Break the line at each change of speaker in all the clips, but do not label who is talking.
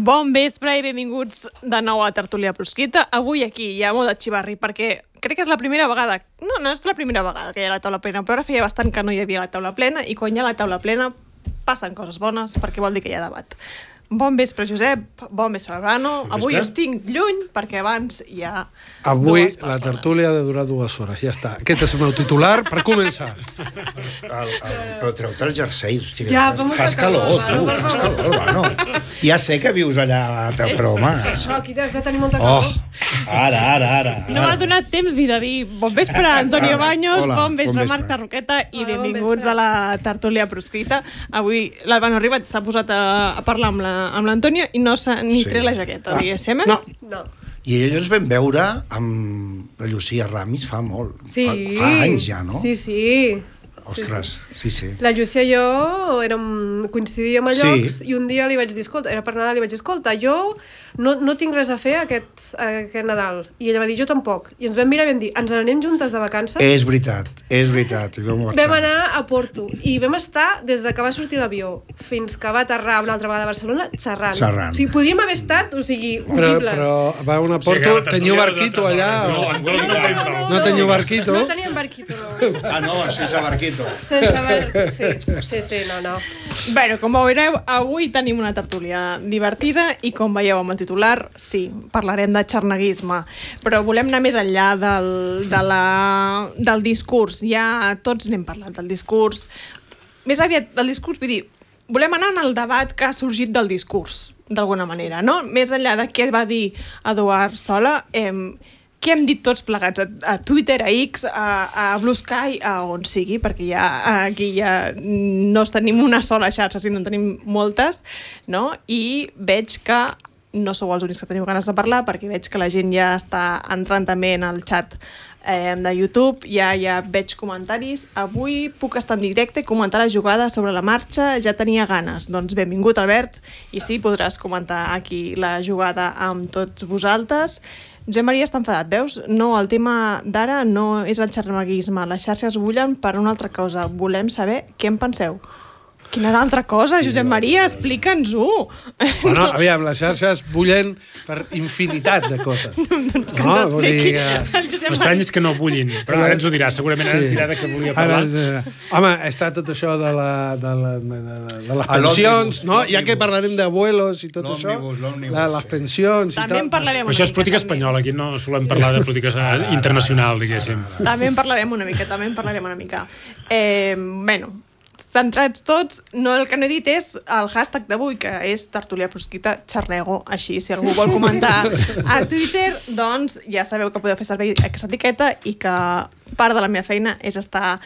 Bon vespre i benvinguts de nou a Tertúlia Proscrita. Avui aquí hi ha molt de xivarri perquè crec que és la primera vegada, no és la primera vegada que hi ha la taula plena, però ara feia bastant que no hi havia la taula plena i quan hi ha la taula plena passen coses bones perquè vol dir que hi ha debat. Bon vespre, Josep. Bon vespre, Albano. Avui us tinc lluny perquè abans hi ha
avui
dues persones.
La tertúlia ha de durar 2 hores, ja està. Aquest és el meu titular per començar.
Però treu-te el jersei, hòstia.
Ja,
fas calor, tu, fas calor, Albano. Ja sé que vius allà, però home...
Això, aquí has de tenir molta calor.
Ara.
No m'ha donat temps ni de dir bon vespre, Antonio Baños,
Hola,
bon vespre,
bon vespre.
Marc Tarroqueta i
Hola, bon
benvinguts
vespre.
a la Tertúlia Proscrita. Avui l'Albano Ribas s'ha posat a parlar amb l'Antonio i no s'ha ni tret la jaqueta, diguéssim.
No.
No.
I ell ens vam veure amb la Llucia Ramis fa molt.
Sí.
Fa anys ja, no?
Sí.
Ostres, sí.
La Llucia i jo coincidíem a
Sí.
llocs i un dia li vaig dir, escolta, era per Nadal, li vaig dir, escolta, jo no tinc res a fer aquest Nadal. I ella va dir, jo tampoc. I ens vam mirar i vam dir, ens n'anem juntes de vacances?
És veritat. I vam marxar.
Vam anar a Porto i vam estar des de que va sortir l'avió fins que va aterrar una altra vegada a Barcelona xerrant. O sigui, podríem haver estat, horribles.
Però va a una Porto, teniu barquito allà? No teniu barquito?
No teníem barquito, no.
Ah, no, sense barquito.
Sense barquito, sí, no.
Bueno, com veureu, avui tenim una tertúlia divertida i com veieu amb el titular, sí, parlarem de xarneguisme, però volem anar més enllà del discurs. Ja tots n'hem parlat del discurs. Més aviat del discurs, vull dir, volem anar en el debat que ha sorgit del discurs, d'alguna manera, no? Més enllà de què va dir Eduard Sola, què hem dit tots plegats a Twitter, a X, a Blue Sky, a on sigui, perquè aquí ja no tenim una sola xarxa, sinó en tenim moltes, no? I veig que no sou els únics que teniu ganes de parlar, perquè veig que la gent ja està entrant també en el xat de YouTube, ja veig comentaris. Avui puc estar en directe i comentar la jugada sobre la marxa, ja tenia ganes. Doncs benvingut, Albert, i sí, podràs comentar aquí la jugada amb tots vosaltres. Josep Maria està enfadat, veus? No, el tema d'ara no és el xarneguisme. Les xarxes bullen per una altra cosa. Volem saber què en penseu. Quina altra cosa, Josep Maria? Explica'ns-ho.
Bueno, aviam, les xarxes bullen per infinitat de coses.
Doncs que ens expliqui el Josep
L'estrany
Maria.
és que no bullin, però ara ens ho dirà. Segurament ara ens dirà de què volia parlar.
Home, està tot això de les pensions, no? Ja que parlarem d'abuelos i tot això, les pensions i
També en
tal.
parlarem
Però això és política espanyola, aquí no solem parlar de política internacional, diguéssim.
També en parlarem una mica. Bueno, centrats tots, el que no he dit és el hashtag d'avui, que és Tertúlia Proscrita Xarnego. Així, si algú vol comentar a Twitter, doncs ja sabeu que podeu fer servir aquesta etiqueta i que part de la meva feina és estar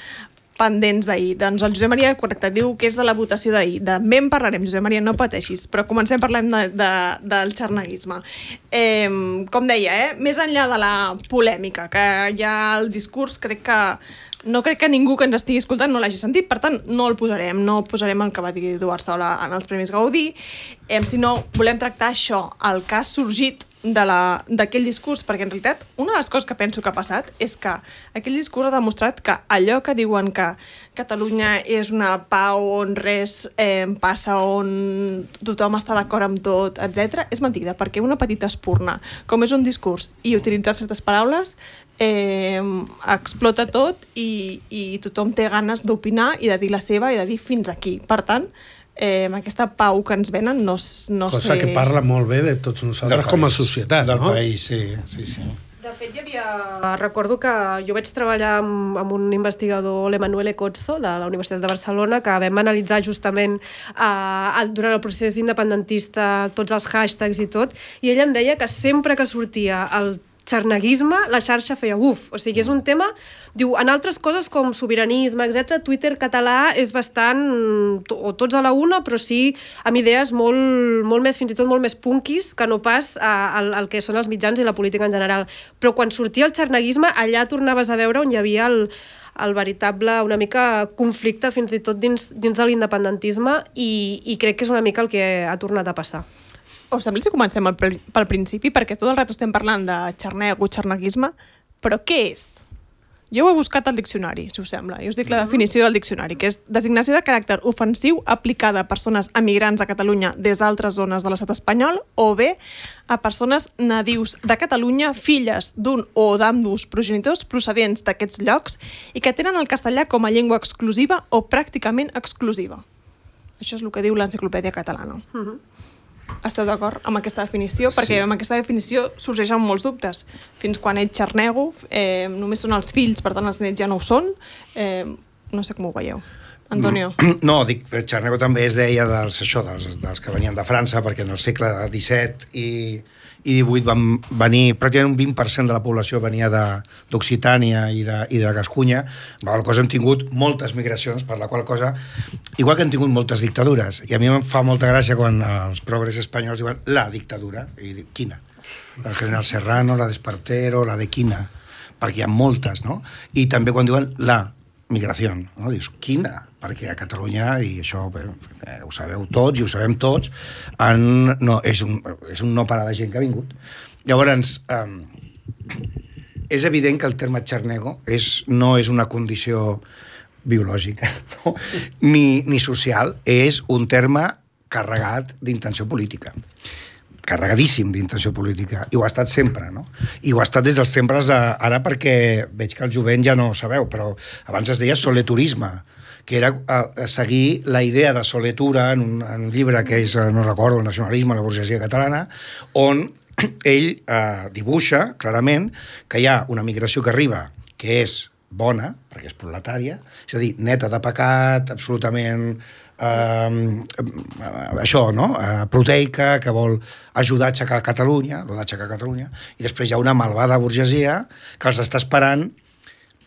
pendents d'ahir. Doncs el Josep Maria, correcte, diu que és de la votació d'ahir. També en parlarem, Josep Maria, no pateixis, però comencem parlant del xarneguisme. Com deia, més enllà de la polèmica, que ja el discurs no crec que ningú que ens estigui escoltant no l'hagi sentit, per tant, no el posarem el que va dir Eduard Sola en els Premis Gaudí, sinó volem tractar això, el que ha sorgit d'aquell discurs, perquè en realitat una de les coses que penso que ha passat és que aquell discurs ha demostrat que allò que diuen que Catalunya és una pau on res passa, on tothom està d'acord amb tot, etc., és mentida, perquè una petita espurna, com és un discurs i utilitzar certes paraules, explota tot i tothom té ganes d'opinar i de dir la seva i de dir fins aquí. Per tant, aquesta pau que ens venen no
Cosa
sé...
que parla molt bé de tots nosaltres com a societat,
del
no?
país, sí.
De fet, recordo que jo vaig treballar amb un investigador, l'Emanuel Ecozzo, de la Universitat de Barcelona, que vam analitzar justament durant el procés independentista tots els hashtags i tot, i ell em deia que sempre que sortia el xarneguisme, la xarxa feia uf. O sigui, és un tema... Diu, en altres coses com sobiranisme, etc., Twitter català és bastant... o tots a la una, però sí amb idees molt més, fins i tot molt més punkis que no pas el que són els mitjans i la política en general. Però quan sortia el xarneguisme, allà tornaves a veure on hi havia el veritable, una mica, conflicte fins i tot dins de l'independentisme i crec que és una mica el que ha tornat a passar.
Us sembla si comencem pel principi? Perquè tot el rato estem parlant de xarnego, xarneguisme, però què és? Jo ho he buscat al diccionari, si us sembla, i us dic la definició del diccionari, que és designació de caràcter ofensiu aplicada a persones emigrants a Catalunya des d'altres zones de l'estat espanyol o bé a persones nadius de Catalunya, filles d'un o d'ambdós progenitors procedents d'aquests llocs i que tenen el castellà com a llengua exclusiva o pràcticament exclusiva. Això és el que diu l'Enciclopèdia Catalana. Esteu d'acord amb aquesta definició? Perquè amb aquesta definició sorgeixen molts dubtes. Fins quan ets xarnego, només són els fills, per tant els nets ja no ho són. No sé com ho veieu. Antonio?
No, dic, xarnego també es deia dels que venien de França, perquè en el segle XVII i XVIII van venir, pràcticament un 20% de la població venia d'Occitània i de Gascunya, per la cosa hem tingut moltes migracions, per la qual cosa, igual que hem tingut moltes dictadures, i a mi em fa molta gràcia quan els progres espanyols diuen la dictadura, i dic, quina? El general Serrano, la de Espartero, la de quina? Perquè hi ha moltes, no? I també quan diuen la migració, no? Dius, quina? Perquè a Catalunya, i això ho sabeu tots i ho sabem tots, és un no parar de gent que ha vingut. Llavors, és evident que el terme xarnego no és una condició biològica, no? ni social, és un terme carregat d'intenció política. Carregadíssim d'intenció política, i ho ha estat sempre, no? I ho ha estat des dels temples ara perquè veig que el jovent ja no ho sabeu, però abans es deia soleturisme, que era seguir la idea de soletura en un llibre que és, no recordo, el nacionalisme, la burgesia catalana, on ell dibuixa clarament que hi ha una migració que arriba, que és bona, perquè és proletària, és a dir, neta de pecat, absolutament això, no? Proteica, que vol ajudar a aixecar Catalunya, i després hi ha una malvada burgesia que els està esperant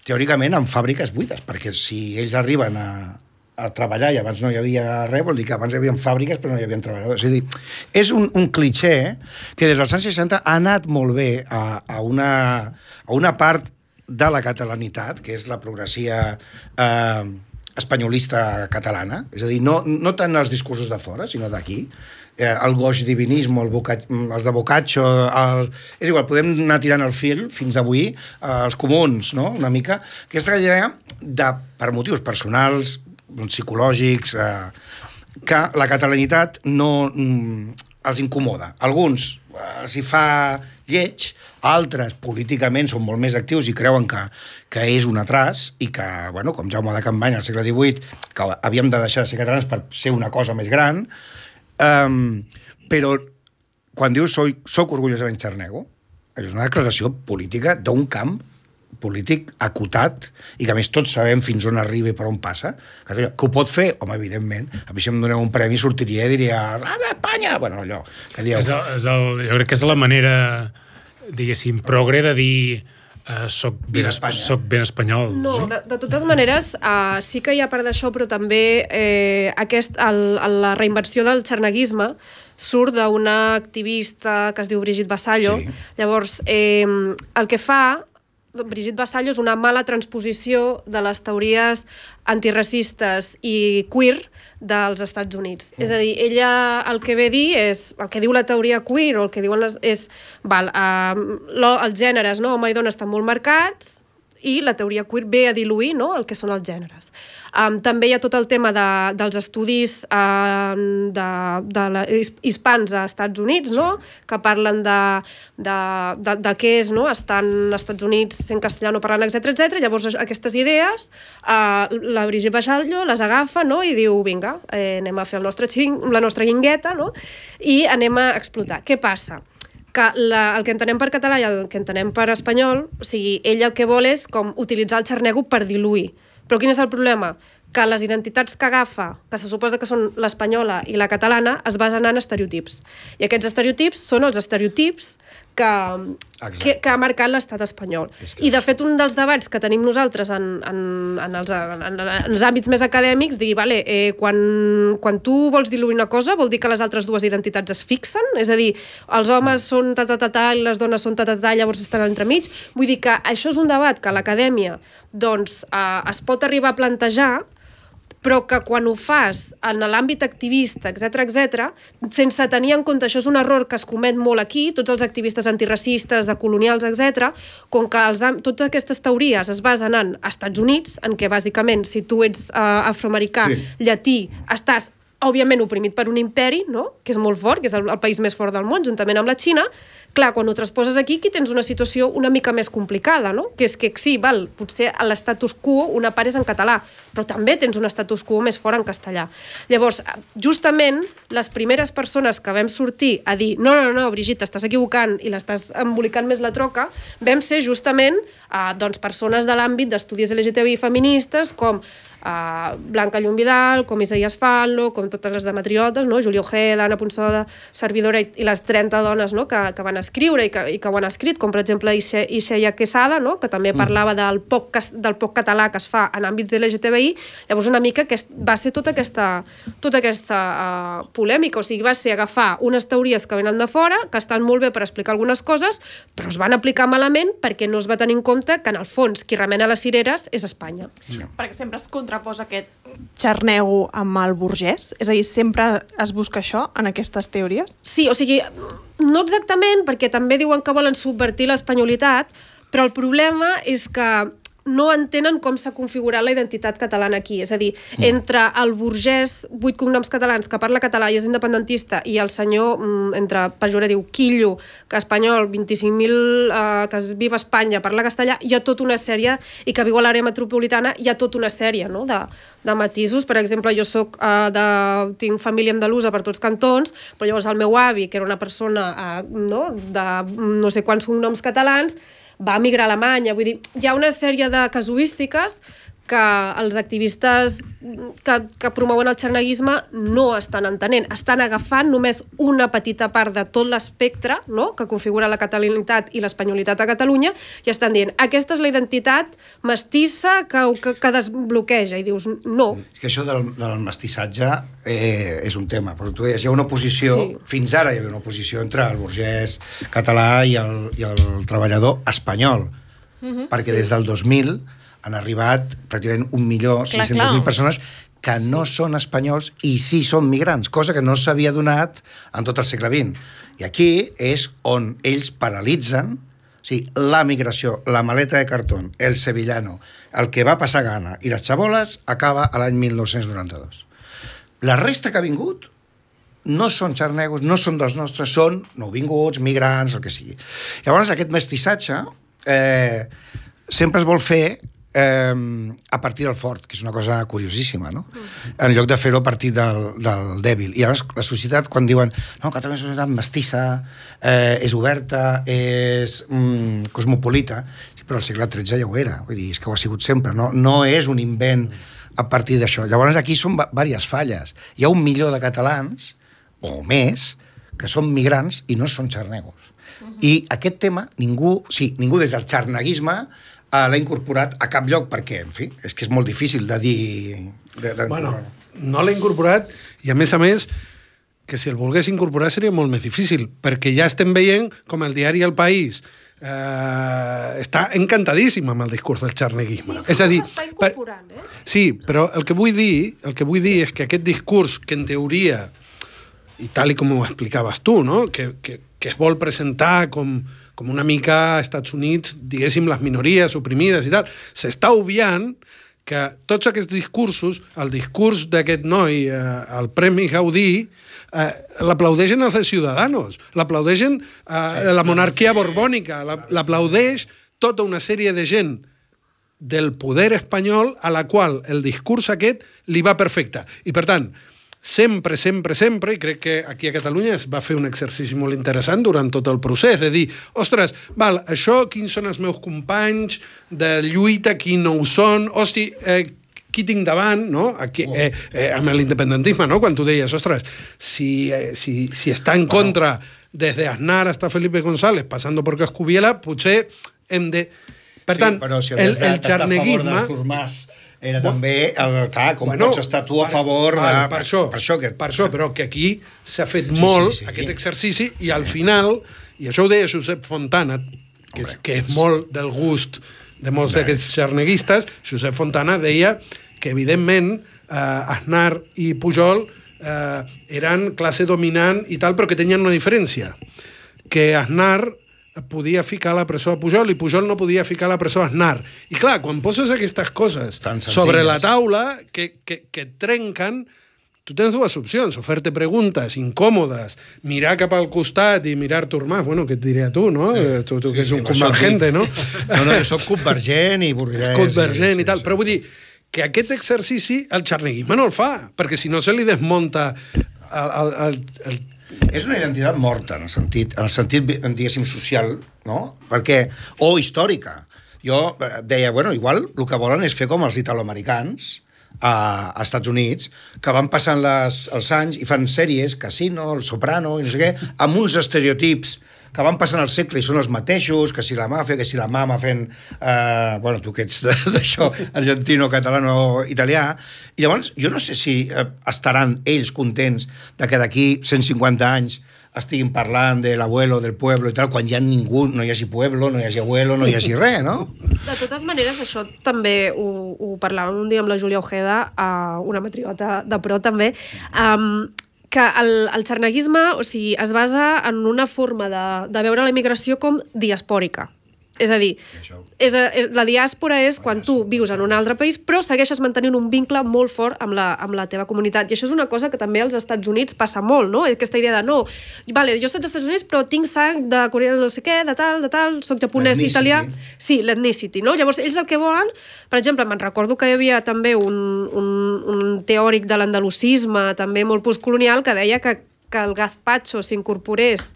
teòricament en fàbriques buides, perquè si ells arriben a treballar i abans no hi havia res, vol dir que abans hi havia fàbriques però no hi havia treballadors. És a dir, és un cliché que des dels anys 60 ha anat molt bé a una part de la catalanitat, que és la progressia espanyolista catalana, és a dir, no tant els discursos de fora, sinó d'aquí, el goix divinisme, els de Boccaccio, és igual, podem anar tirant el fil fins avui, els comuns, no?, una mica, aquesta idea per motius personals, psicològics, que la catalanitat no els incomoda. Alguns els hi fa lleig, altres políticament són molt més actius i creuen que és un atras i que, bueno, com Jaume de Campany al segle XVIII, que havíem de deixar de ser catalans per ser una cosa més gran, però quan dius soc orgullosament xarnego, és una declaració política d'un camp polític acotat i que a més tots sabem fins on arriba i per on passa, que ho pot fer, home, evidentment. A mi si em doneu un premi sortiria i diria Espanya! Bueno, allò que dieu.
Jo crec que és la manera, diguéssim, progre de dir soc ben espanyol.
No, de totes maneres, sí que hi ha part d'això, però també la reinversió del xarneguisme surt d'una activista que es diu Brigitte Vassallo. Sí. Llavors, el que fa Brigitte Vassallo és una mala transposició de les teories antiracistes i queer dels Estats Units. És a dir, ella el que ve a dir és, el que diu la teoria queer o el que diuen els gèneres, no? Home i dona estan molt marcats i la teoria queer ve a diluir, no?, el que són els gèneres. També hi ha tot el tema dels estudis hispans a Estats Units, no?, que parlen de què és, no?, estar als Estats Units sent castellano parlant, etc. Llavors aquestes idees la Brigitte Vassallo les agafa, no?, i diu, vinga, anem a fer la nostra guingueta, no?, i anem a explotar. Què passa? Que el que entenem per català i el que entenem per espanyol, o sigui, ell el que vol és com utilitzar el xarnego per diluir. Però quin és el problema? Que les identitats que agafa, que se suposa que són l'espanyola i la catalana, es basen en estereotips. I aquests estereotips són els estereotips que ha marcat l'estat espanyol. I, de fet, un dels debats que tenim nosaltres en els àmbits més acadèmics, digui, vale, quan tu vols diluir una cosa, vol dir que les altres dues identitats es fixen? És a dir, els homes són ta-ta-ta-ta i les dones són ta-ta-ta, llavors estan entremig? Vull dir que això és un debat que a l'acadèmia doncs, es pot arribar a plantejar, però que quan ho fas en l'àmbit activista, etc, sense tenir en compte, això és un error que es comet molt aquí, tots els activistes antiracistes, de colonials, etc, com que totes aquestes teories es basen en Estats Units, en què bàsicament si tu ets afroamericà, llatí, estàs òbviament oprimit per un imperi, no? Que és molt fort, que és el país més fort del món, juntament amb la Xina. Clar, quan ho transposes aquí tens una situació una mica més complicada, no? Que és que sí, potser a l'estatus quo una part és en català, però també tens un status quo més fort en castellà. Llavors, justament, les primeres persones que vam sortir a dir no, Brigitte, estàs equivocant i l'estàs embolicant més la troca, vam ser justament persones de l'àmbit d'estudis LGTBI feministes com Blanca Llum Vidal, com Isaías Fallo, com totes les demetriotes, no? Juli Ojeda, Anna Punsoda, servidora i les 30 dones, no? que van escriure i que ho han escrit, com per exemple Ixeia Quesada, no? Que també parlava del poc català que es fa en àmbits LGTBI. Llavors una mica va ser tota aquesta polèmica, o sigui, va ser agafar unes teories que venen de fora, que estan molt bé per explicar algunes coses, però es van aplicar malament perquè no es va tenir en compte que en el fons qui remena les cireres és Espanya.
Sí. Perquè sempre es contraposa aquest xarnego amb el burgès? És a dir, sempre es busca això en aquestes teories?
Sí, o sigui, no exactament, perquè també diuen que volen subvertir l'espanyolitat, però el problema és que no entenen com s'ha configurat la identitat catalana aquí. És a dir, entre el burgès, 8 cognoms catalans, que parla català i és independentista, i el senyor, entre pejoratiu, quillo, que espanyol, 25.000, que viu a Espanya, parla castellà, hi ha tota una sèrie, i que viu a l'àrea metropolitana, hi ha tota una sèrie, no?, de matisos. Per exemple, jo tinc família andalusa per tots cantons, però llavors el meu avi, que era una persona de no sé quants cognoms catalans, va emigrar a Alemanya. Vull dir, hi ha una sèrie de casuístiques que els activistes que promouen el xarneguisme no estan entenent. Estan agafant només una petita part de tot l'espectre, no?, que configura la catalanitat i l'espanyolitat a Catalunya, i estan dient, aquesta és la identitat mestissa que desbloqueja. I dius, no.
És que això del mestissatge és un tema, però tu deies, hi ha una oposició, fins ara hi havia una oposició entre el burgès català i el treballador espanyol, perquè des del 2000 han arribat pràcticament 1.500.000 persones que no són espanyols i sí són migrants, cosa que no s'havia donat en tot el segle XX. I aquí és on ells paralitzen, o sigui, la migració, la maleta de cartó, el sevillano, el que va passar gana i les xaboles acaba a l'any 1992. La resta que ha vingut no són xarnegos, no són dels nostres, són nouvinguts, migrants, el que sigui. Llavors, aquest mestissatge sempre es vol fer a partir del fort, que és una cosa curiosíssima, no? En lloc de fer-ho a partir del dèbil. I llavors la societat, quan diuen no, Catalunya és una societat mestissa, és oberta, és cosmopolita, però al segle XIII ja ho era, vull dir, és que ho ha sigut sempre, no és un invent a partir d'això. Llavors aquí són diverses falles. Hi ha 1 milió de catalans, o més, que són migrants i no són xarnegos. I aquest tema ningú des del xarneguisme l'ha incorporat a cap lloc, perquè, en fi, és que és molt difícil de dir...
Bueno, no l'ha incorporat, i a més, que si el volgués incorporar seria molt més difícil, perquè ja estem veient com el diari El País està encantadíssim amb el discurs del xarneguisme.
Sí, és a dir, s'està incorporant,
Sí, però el que vull dir és que aquest discurs que en teoria, i tal com ho explicaves tu, no?, que es vol presentar com una mica a Estats Units, diguéssim, les minories oprimides i tal, s'està obviant que tots aquests discursos, el discurs d'aquest noi, el Premi Gaudí, l'aplaudeixen els Ciudadanos, l'aplaudeixen la monarquia borbònica, l'aplaudeix tota una sèrie de gent del poder espanyol a la qual el discurs aquest li va perfecte. I, per tant, sempre, i crec que aquí a Catalunya es va fer un exercici molt interessant durant tot el procés, és a dir, ostres, això, quins són els meus companys de lluita, qui no ho són, qui tinc davant, no? Aquí, amb l'independentisme, no? Quan tu deies, ostres, si està en contra desde Aznar hasta Felipe González, passando por Coscubiela, potser hem de... Per tant,
però si
el xarneguisme...
Artur Mas era també, com pots estar tu a favor de...
Per això, però que aquí s'ha fet molt aquest exercici i al final, i això ho deia Josep Fontana, que és molt del gust de molts d'aquests xarneguistes, Josep Fontana deia que, evidentment, Aznar i Pujol eren classe dominant i tal, però que tenien una diferència, que Aznar podia ficar a la presó a Pujol i Pujol no podia ficar a la presó a Aznar. I clar, quan poses aquestes coses sobre la taula que et trenquen, tu tens dues opcions, o fer-te preguntes incòmodes, mirar cap al costat i mirar Artur Mas, bueno, què et diré a tu, no? Tu que ets un convergente, no?
No, jo soc convergent i burguès.
Convergent i tal, però vull dir que aquest exercici el xarneguisme no el fa, perquè si no se li desmunta el
és una identitat morta, en el sentit diguéssim, social, no? Perquè, o històrica. Jo deia, bueno, igual el que volen és fer com els italoamericans a Estats Units, que van passant els anys i fan sèries, Casino, El Soprano, i no sé què, amb uns estereotips que van passant el segle i són els mateixos, que si la màfia, que si la mama fent... bueno, tu que ets d'això, argentino, catalano, italià. I llavors, jo no sé si estaran ells contents de que d'aquí 150 anys estiguin parlant de l'abuelo, del pueblo i tal, quan ja ningú, no hi hagi pueblo, no hi hagi abuelo, no hi hagi res, no?
De totes maneres, això també ho parlàvem un dia amb la Júlia Ojeda, una matriota de pro també, que el xarneguisme, o sigui, es basa en una forma de veure la immigració com diaspòrica. És a dir, la diàspora és quan tu vius en un altre país però segueixes mantenint un vincle molt fort amb la teva comunitat. I això és una cosa que també als Estats Units passa molt, no? Aquesta idea de no, vale, jo soc dels Estats Units però tinc sang de coreà no sé què, de tal, soc japonès, italià... Sí, l'ethnicity, no? Llavors, ells el que volen... Per exemple, me'n recordo que hi havia també un teòric de l'andalusisme, també molt postcolonial, que deia que el gazpacho s'incorporés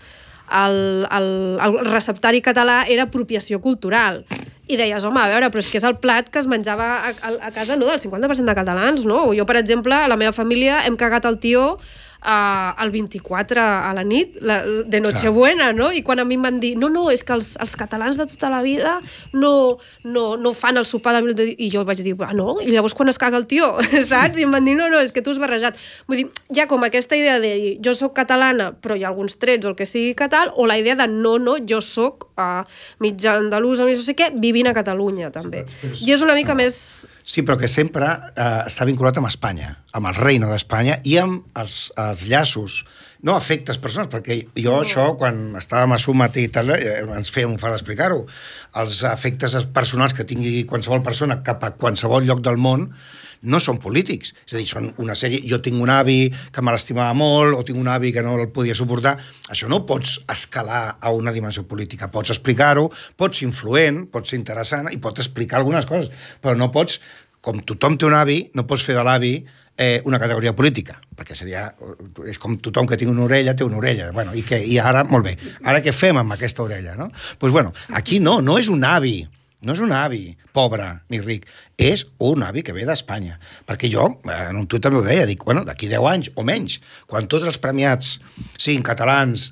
el receptari català era apropiació cultural. I deies, home, a veure, però és que és el plat que es menjava a casa, no, del 50% de catalans, no? Jo, per exemple, a la meva família hem cagat el tió el 24 a la nit, de Nochebuena, no? I quan a mi em van dir, no, és que els catalans de tota la vida no fan el sopar de... I jo vaig dir, no? I llavors quan es caga el tió, saps? I em van dir, no, és que tu has barrejat. Vull dir, hi ha com aquesta idea de jo soc catalana, però hi ha alguns trets o el que sigui català, o la idea de no, jo soc mitja andalusa, no sé què, vivint a Catalunya, també. I és una mica més...
Sí, però que sempre està vinculat amb Espanya, amb el reino d'Espanya i amb els llaços, no afectes personals, perquè jo això, quan estàvem a Sumat i tal, ens feia un fart explicar-ho, els afectes personals que tingui qualsevol persona cap a qualsevol lloc del món no són polítics, és a dir, són una sèrie... Jo tinc un avi que me l'estimava molt, o tinc un avi que no el podia suportar. Això no ho pots escalar a una dimensió política. Pots explicar-ho, pots ser influent, pots ser interessant i pots explicar algunes coses, però no pots, com tothom té un avi, no pots fer de l'avi una categoria política, perquè seria... És com tothom que tingui una orella té una orella. Bueno, i què? I ara, molt bé, ara què fem amb aquesta orella, no? Doncs, bueno, aquí no és un avi. No és un avi pobre ni ric, és un avi que ve d'Espanya. Perquè jo, en un tuit també ho deia, dic, bueno, d'aquí 10 anys o menys, quan tots els premiats siguin catalans,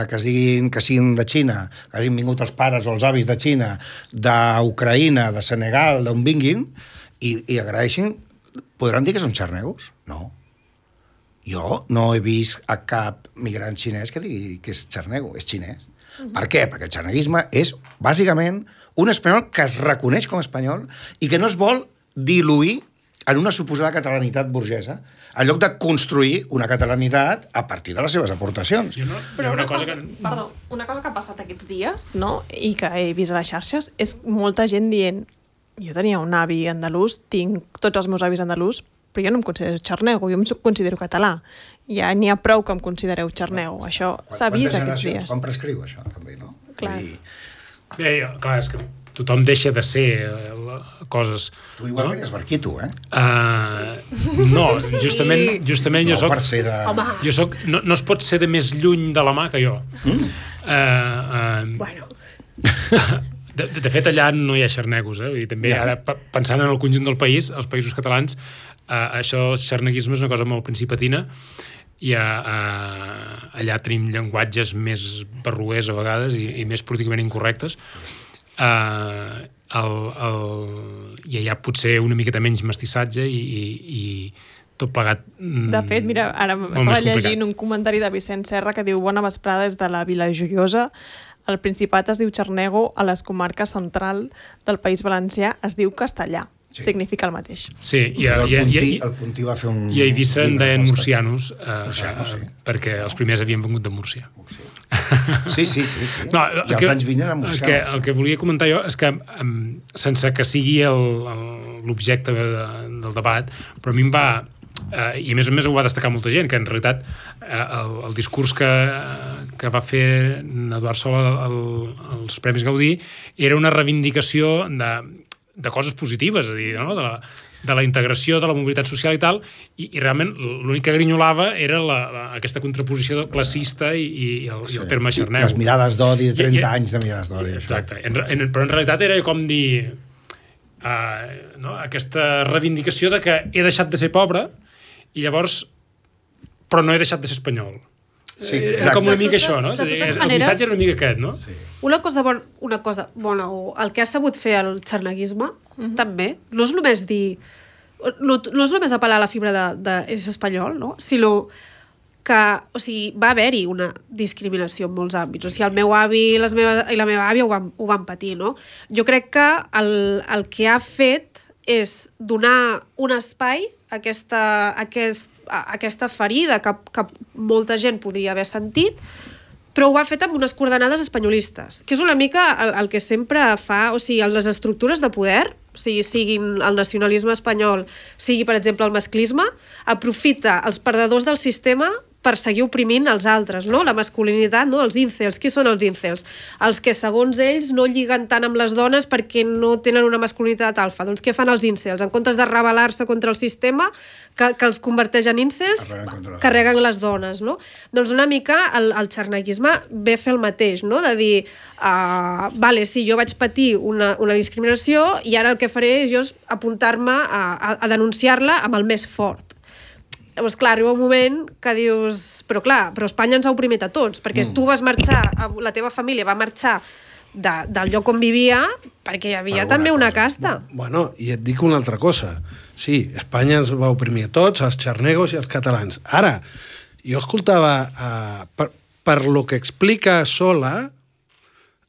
que siguin de Xina, que hagin vingut els pares o els avis de Xina, d'Ucraïna, de Senegal, d'on vinguin, i agraeixin, podran dir que són xarnegos? No. Jo no he vist a cap migrant xinès que digui que és xarnego, és xinès. Per què? Perquè el xarneguisme és, bàsicament, un espanyol que es reconeix com a espanyol i que no es vol diluir en una suposada catalanitat burgesa, en lloc de construir una catalanitat a partir de les seves aportacions.
Però una cosa que ha passat aquests dies, no?, i que he vist a les xarxes, és molta gent dient jo tenia un avi andalús, tinc tots els meus avis andalús, però jo no em considero xarnego, jo em considero català. Ja n'hi ha prou que em considereu xarnego. Això s'ha vist aquests dies.
Quan prescriu això, també, no?
Clar.
Clar, és que tothom deixa de ser coses...
Tu igual feies barquito, eh?
No, justament jo soc...
Per ser de...
Jo soc... No es pot ser de més lluny de la mà que jo.
Bueno...
De fet, allà no hi ha xarnegos, I també, ara, pensant en el conjunt del país, els països catalans, això, el xarneguisme és una cosa molt principatina, i allà tenim llenguatges més barroers a vegades i més políticament incorrectes. I allà potser una miqueta menys mestissatge i tot plegat
De fet, mira, ara estava llegint un comentari de Vicent Serra que diu: bona vesprada des de la Vila Joiosa. El Principat es diu xarnego, a les comarques central del País Valencià es diu castellà. Sí. Significa el mateix.
Sí,
el Puntí va fer un...
I a Eivissa en deien murcianos, perquè els primers havien vengut de Múrcia.
Sí. No, I els anys 20 eren murcianos.
El que volia comentar jo és que, sense que sigui l'objecte del debat, però a mi em va... I a més ho va destacar molta gent, que en realitat el discurs que va fer Eduard Sola als Premis Gaudí era una reivindicació de coses positives, és a dir, no? de la integració, de la mobilitat social i tal, i realment l'únic que grinyolava era aquesta contraposició classista i el terme xarnego.
Les mirades d'odi, 30 anys de mirades d'odi.
Exacte, però en realitat era com dir aquesta reivindicació de que he deixat de ser pobre i llavors, però no he deixat de ser espanyol.
Sí,
era com una mica això, no?
De totes
el
maneres,
missatge era una mica aquest, no?
Sí.
Una cosa bona, o el que ha sabut fer el xarneguisme, també, no és només dir... No és només apel·lar a la fibra és espanyol, no? Sinó que, o sigui, va haver-hi una discriminació en molts àmbits. O sigui, el meu avi i la meva àvia ho van patir, no? Jo crec que el que ha fet és donar un espai a aquesta ferida que molta gent podria haver sentit, però ho ha fet amb unes coordenades espanyolistes, que és una mica el que sempre fa, o sigui, les estructures de poder, o sigui, siguin el nacionalisme espanyol, sigui, per exemple, el masclisme, aprofita els perdedors del sistema per seguir oprimint els altres, no? La masculinitat, no? Els incels. Qui són els incels? Els que, segons ells, no lliguen tant amb les dones perquè no tenen una masculinitat alfa. Doncs què fan els incels? En comptes de rebel·lar-se contra el sistema, que els converteix en incels, carreguen les dones, no? Doncs una mica el xarneguisme ve a fer el mateix, no? De dir, vale, sí, jo vaig patir una discriminació i ara el que faré és jo apuntar-me a denunciar-la amb el més fort. Llavors, clar, arriba un moment que dius... Però Espanya ens ha oprimit a tots, perquè tu vas marxar, la teva família va marxar del lloc on vivia perquè hi havia també una casta.
Bueno, i et dic una altra cosa. Sí, Espanya ens va oprimir a tots, els xarnegos i els catalans. Ara, jo escoltava, per lo que explica Sola,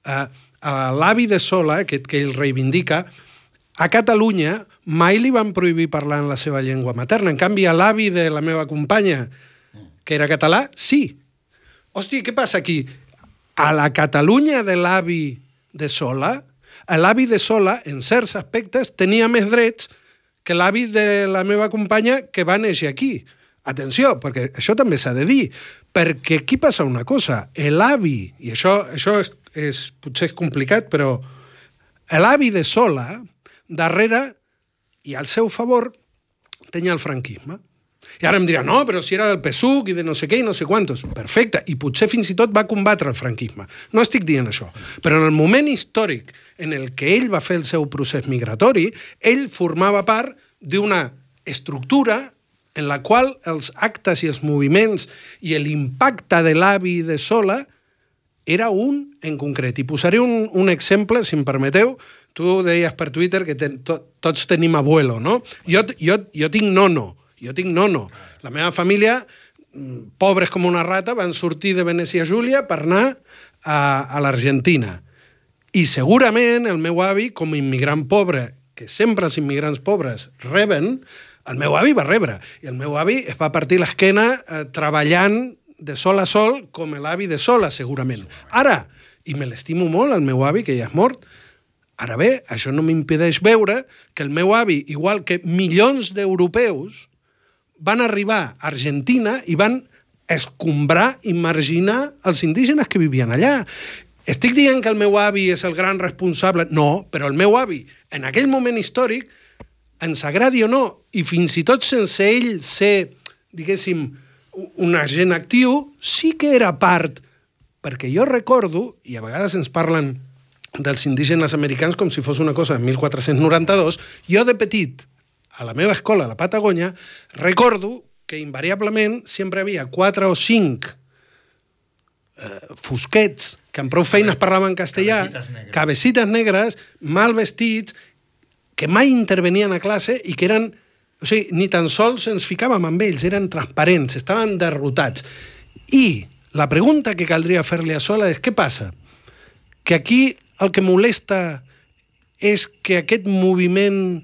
l'avi de Sola, aquest que ell reivindica, a Catalunya mai li van prohibir parlar en la seva llengua materna. En canvi, a l'avi de la meva companya, que era català, sí. Hòstia, què passa aquí? A la Catalunya de l'avi de Sola, l'avi de Sola, en certs aspectes, tenia més drets que l'avi de la meva companya que va néixer aquí. Atenció, perquè això també s'ha de dir, perquè aquí passa una cosa. L'avi, i això potser és complicat, però l'avi de Sola, darrere i al seu favor tenia el franquisme. I ara em dirà, no, però si era del PSUC i de no sé què i no sé quantos. Perfecte, i potser fins i tot va combatre el franquisme. No estic dient això. Però en el moment històric en el que ell va fer el seu procés migratori, ell formava part d'una estructura en la qual els actes i els moviments i l'impacte de l'avi de Sola era un en concret. I posaré un exemple, si em permeteu. Tu deies per Twitter que tots tenim abuelo, no? Jo tinc nono. La meva família, pobres com una rata, van sortir de Venècia Júlia per anar a l'Argentina. I segurament el meu avi, com a immigrant pobre, que sempre els immigrants pobres reben, el meu avi va rebre. I el meu avi es va partir l'esquena treballant de sol a sol com l'avi de Sola, segurament. Ara, i me l'estimo molt, el meu avi, que ja és mort, ara bé, això no m'impedeix veure que el meu avi, igual que milions d'europeus, van arribar a Argentina i van escombrar i marginar els indígenes que vivien allà. Estic dient que el meu avi és el gran responsable? No, però el meu avi, en aquell moment històric, ens agradi o no, i fins i tot sense ell ser, diguéssim, un agent actiu, sí que era part, perquè jo recordo, i a vegades ens parlen dels indígenes americans com si fos una cosa de 1492. Jo, de petit, a la meva escola, a la Patagònia, recordo que invariablement sempre havia 4 o 5 fosquets que amb prou feines parlaven castellà, cabecites negres, mal vestits, que mai intervenien a classe i que eren... O sigui, ni tan sols ens ficàvem amb ells, eren transparents, estaven derrotats. I la pregunta que caldria fer-li a Sola és què passa? Que aquí el que molesta és que aquest moviment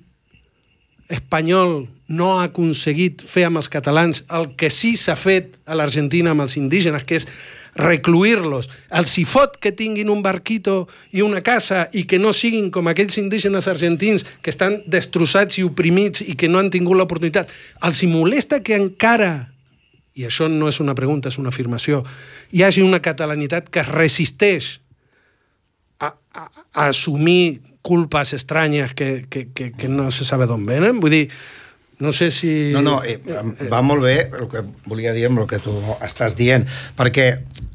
espanyol no ha aconseguit fer amb els catalans el que sí s'ha fet a l'Argentina amb els indígenes, que és recluir-los. Els hi fot que tinguin un barquito i una casa i que no siguin com aquells indígenes argentins que estan destrossats i oprimits i que no han tingut l'oportunitat. Els hi molesta que encara, i això no és una pregunta, és una afirmació, hi hagi una catalanitat que es resisteix a assumir culpes estranyes que no se sabe d'on venen. Vull dir, no sé si...
No, va molt bé el que volia dir amb el que tu estàs dient, perquè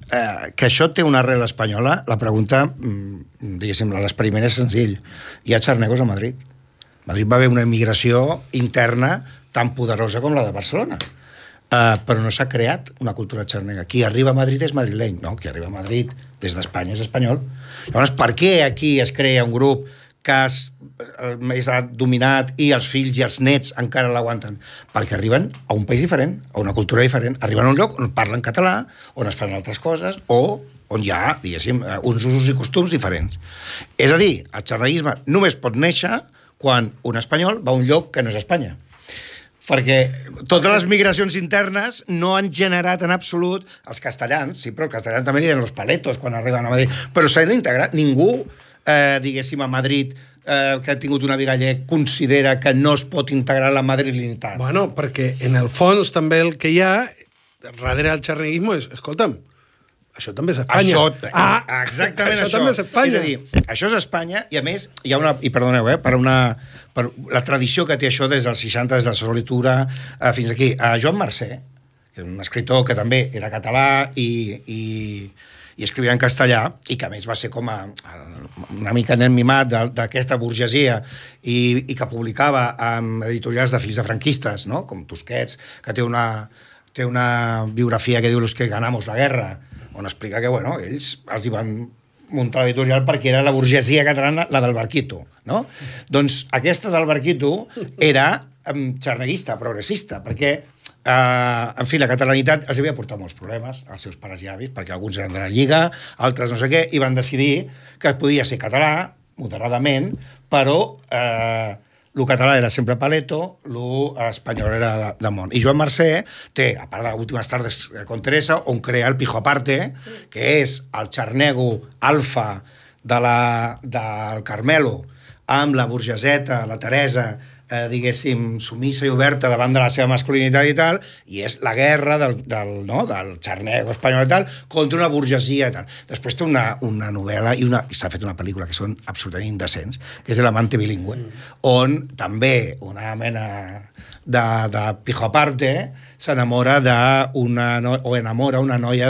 que això té una arrel espanyola, la pregunta, diguéssim, l'experiment és senzill. Hi ha xarnegos a Madrid. A Madrid va haver una immigració interna tan poderosa com la de Barcelona. Però no s'ha creat una cultura xarnega. Qui arriba a Madrid és madrileny, no? Qui arriba a Madrid des d'Espanya és espanyol. Llavors, per què aquí es crea un grup que és dominat i els fills i els nets encara l'aguanten? Perquè arriben a un país diferent, a una cultura diferent. Arriben a un lloc on parlen català, on es fan altres coses, o on hi ha, diguéssim, uns usos i costums diferents. És a dir, el xarneguisme només pot néixer quan un espanyol va a un lloc que no és Espanya. Perquè totes les migracions internes no han generat en absolut els castellans, sí, però el castellà també li den los paletos quan arriben a Madrid, però s'ha d'integrar. Ningú, diguéssim, a Madrid, que ha tingut una vida gallec, considera que no es pot integrar la madrilinitat.
Bueno, perquè en el fons també el que hi ha darrere del xarneguisme és, escolta'm, això també és Espanya.
Exactament això.
També és Espanya.
És a dir, això és Espanya, i a més, hi ha una... I perdoneu, per la tradició que té això des dels 60, des de la solitura, fins aquí. Joan Mercè, que és un escritor que també era català i escrivia en castellà, i que a més va ser com una mica nen mimat d'aquesta burgesia i que publicava amb editorials de fills de franquistes, no? Com Tusquets, que té una biografia que diu Los que ganamos la guerra, on explica que, bueno, ells els hi van muntar l'editorial perquè era la burgesia catalana, la del Barquito, no? Doncs aquesta del Barquito era xarneguista, progressista, perquè, en fi, la catalanitat els havia portat molts problemes als seus pares i avis, perquè alguns eren de la Lliga, altres no sé què, i van decidir que podia ser català, moderadament, però el català era sempre paleto, l'espanyol era de món. I Joan Mercè té, a part de Últimes tardes con Teresa, on crea el Pijo Aparte, que és el xarnego alfa del Carmelo, amb la burgeseta, la Teresa, diguéssim, sumissa i oberta davant de la seva masculinitat i tal, i és la guerra del xarnego espanyol i tal, contra una burgesia i tal. Després té una novel·la i s'ha fet una pel·lícula que són absolutament indecents, que és El amante bilingüe, on també una mena de Pijo Aparte s'enamora enamora una noia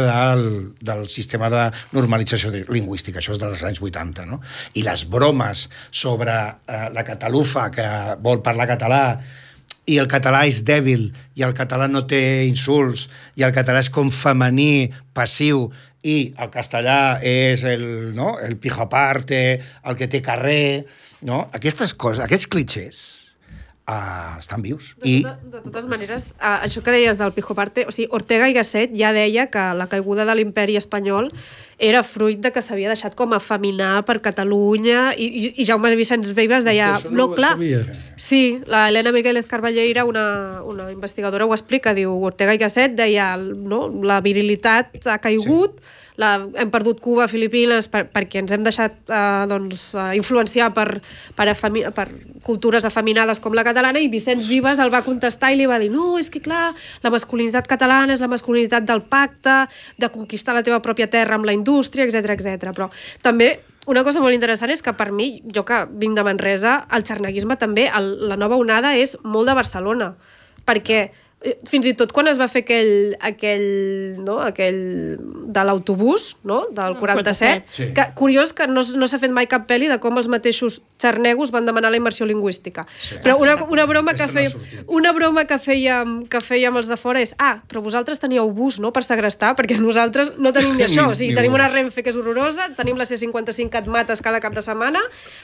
del sistema de normalització lingüística. Això és dels anys 80, no? I les bromes sobre la catalufa que vol parlar català i el català és dèbil i el català no té insults i el català és com femení, passiu, i el castellà és el Pijo Aparte, el que té carrer, no? Aquestes coses, aquests clichés estan vius.
De totes maneres, això que deies del Pijo Aparte, o sigui, Ortega i Gasset ja deia que la caiguda de l'imperi espanyol era fruit de que s'havia deixat com afeminar per Catalunya i Jaume Vicenç Vives deia...
Això no ho sabia.
Sí, la Helena Migueles Carballeira, una investigadora, ho explica, diu Ortega i Gasset deia, no, la virilitat ha caigut, hem perdut Cuba, Filipines, perquè ens hem deixat influenciar per cultures afeminades com la catalana, i Vicenç Vives el va contestar i li va dir, no, és que clar, la masculinitat catalana és la masculinitat del pacte, de conquistar la teva pròpia terra amb la indústria, etc. Però també una cosa molt interessant és que per mi, jo que vinc de Manresa, el xarneguisme també, la nova onada és molt de Barcelona, perquè fins i tot quan es va fer aquell de l'autobús, no? Del 47,
sí.
que curiós que no s'ha fet mai cap pel·li de com els mateixos xarnegos van demanar la immersió lingüística. Sí. Però una broma que fèiem els de fora és però vosaltres teníeu bus, no?, per segrestar, perquè nosaltres no tenim ni això. O sigui, tenim una Renfe que és horrorosa, tenim la C55 que et mates cada cap de setmana,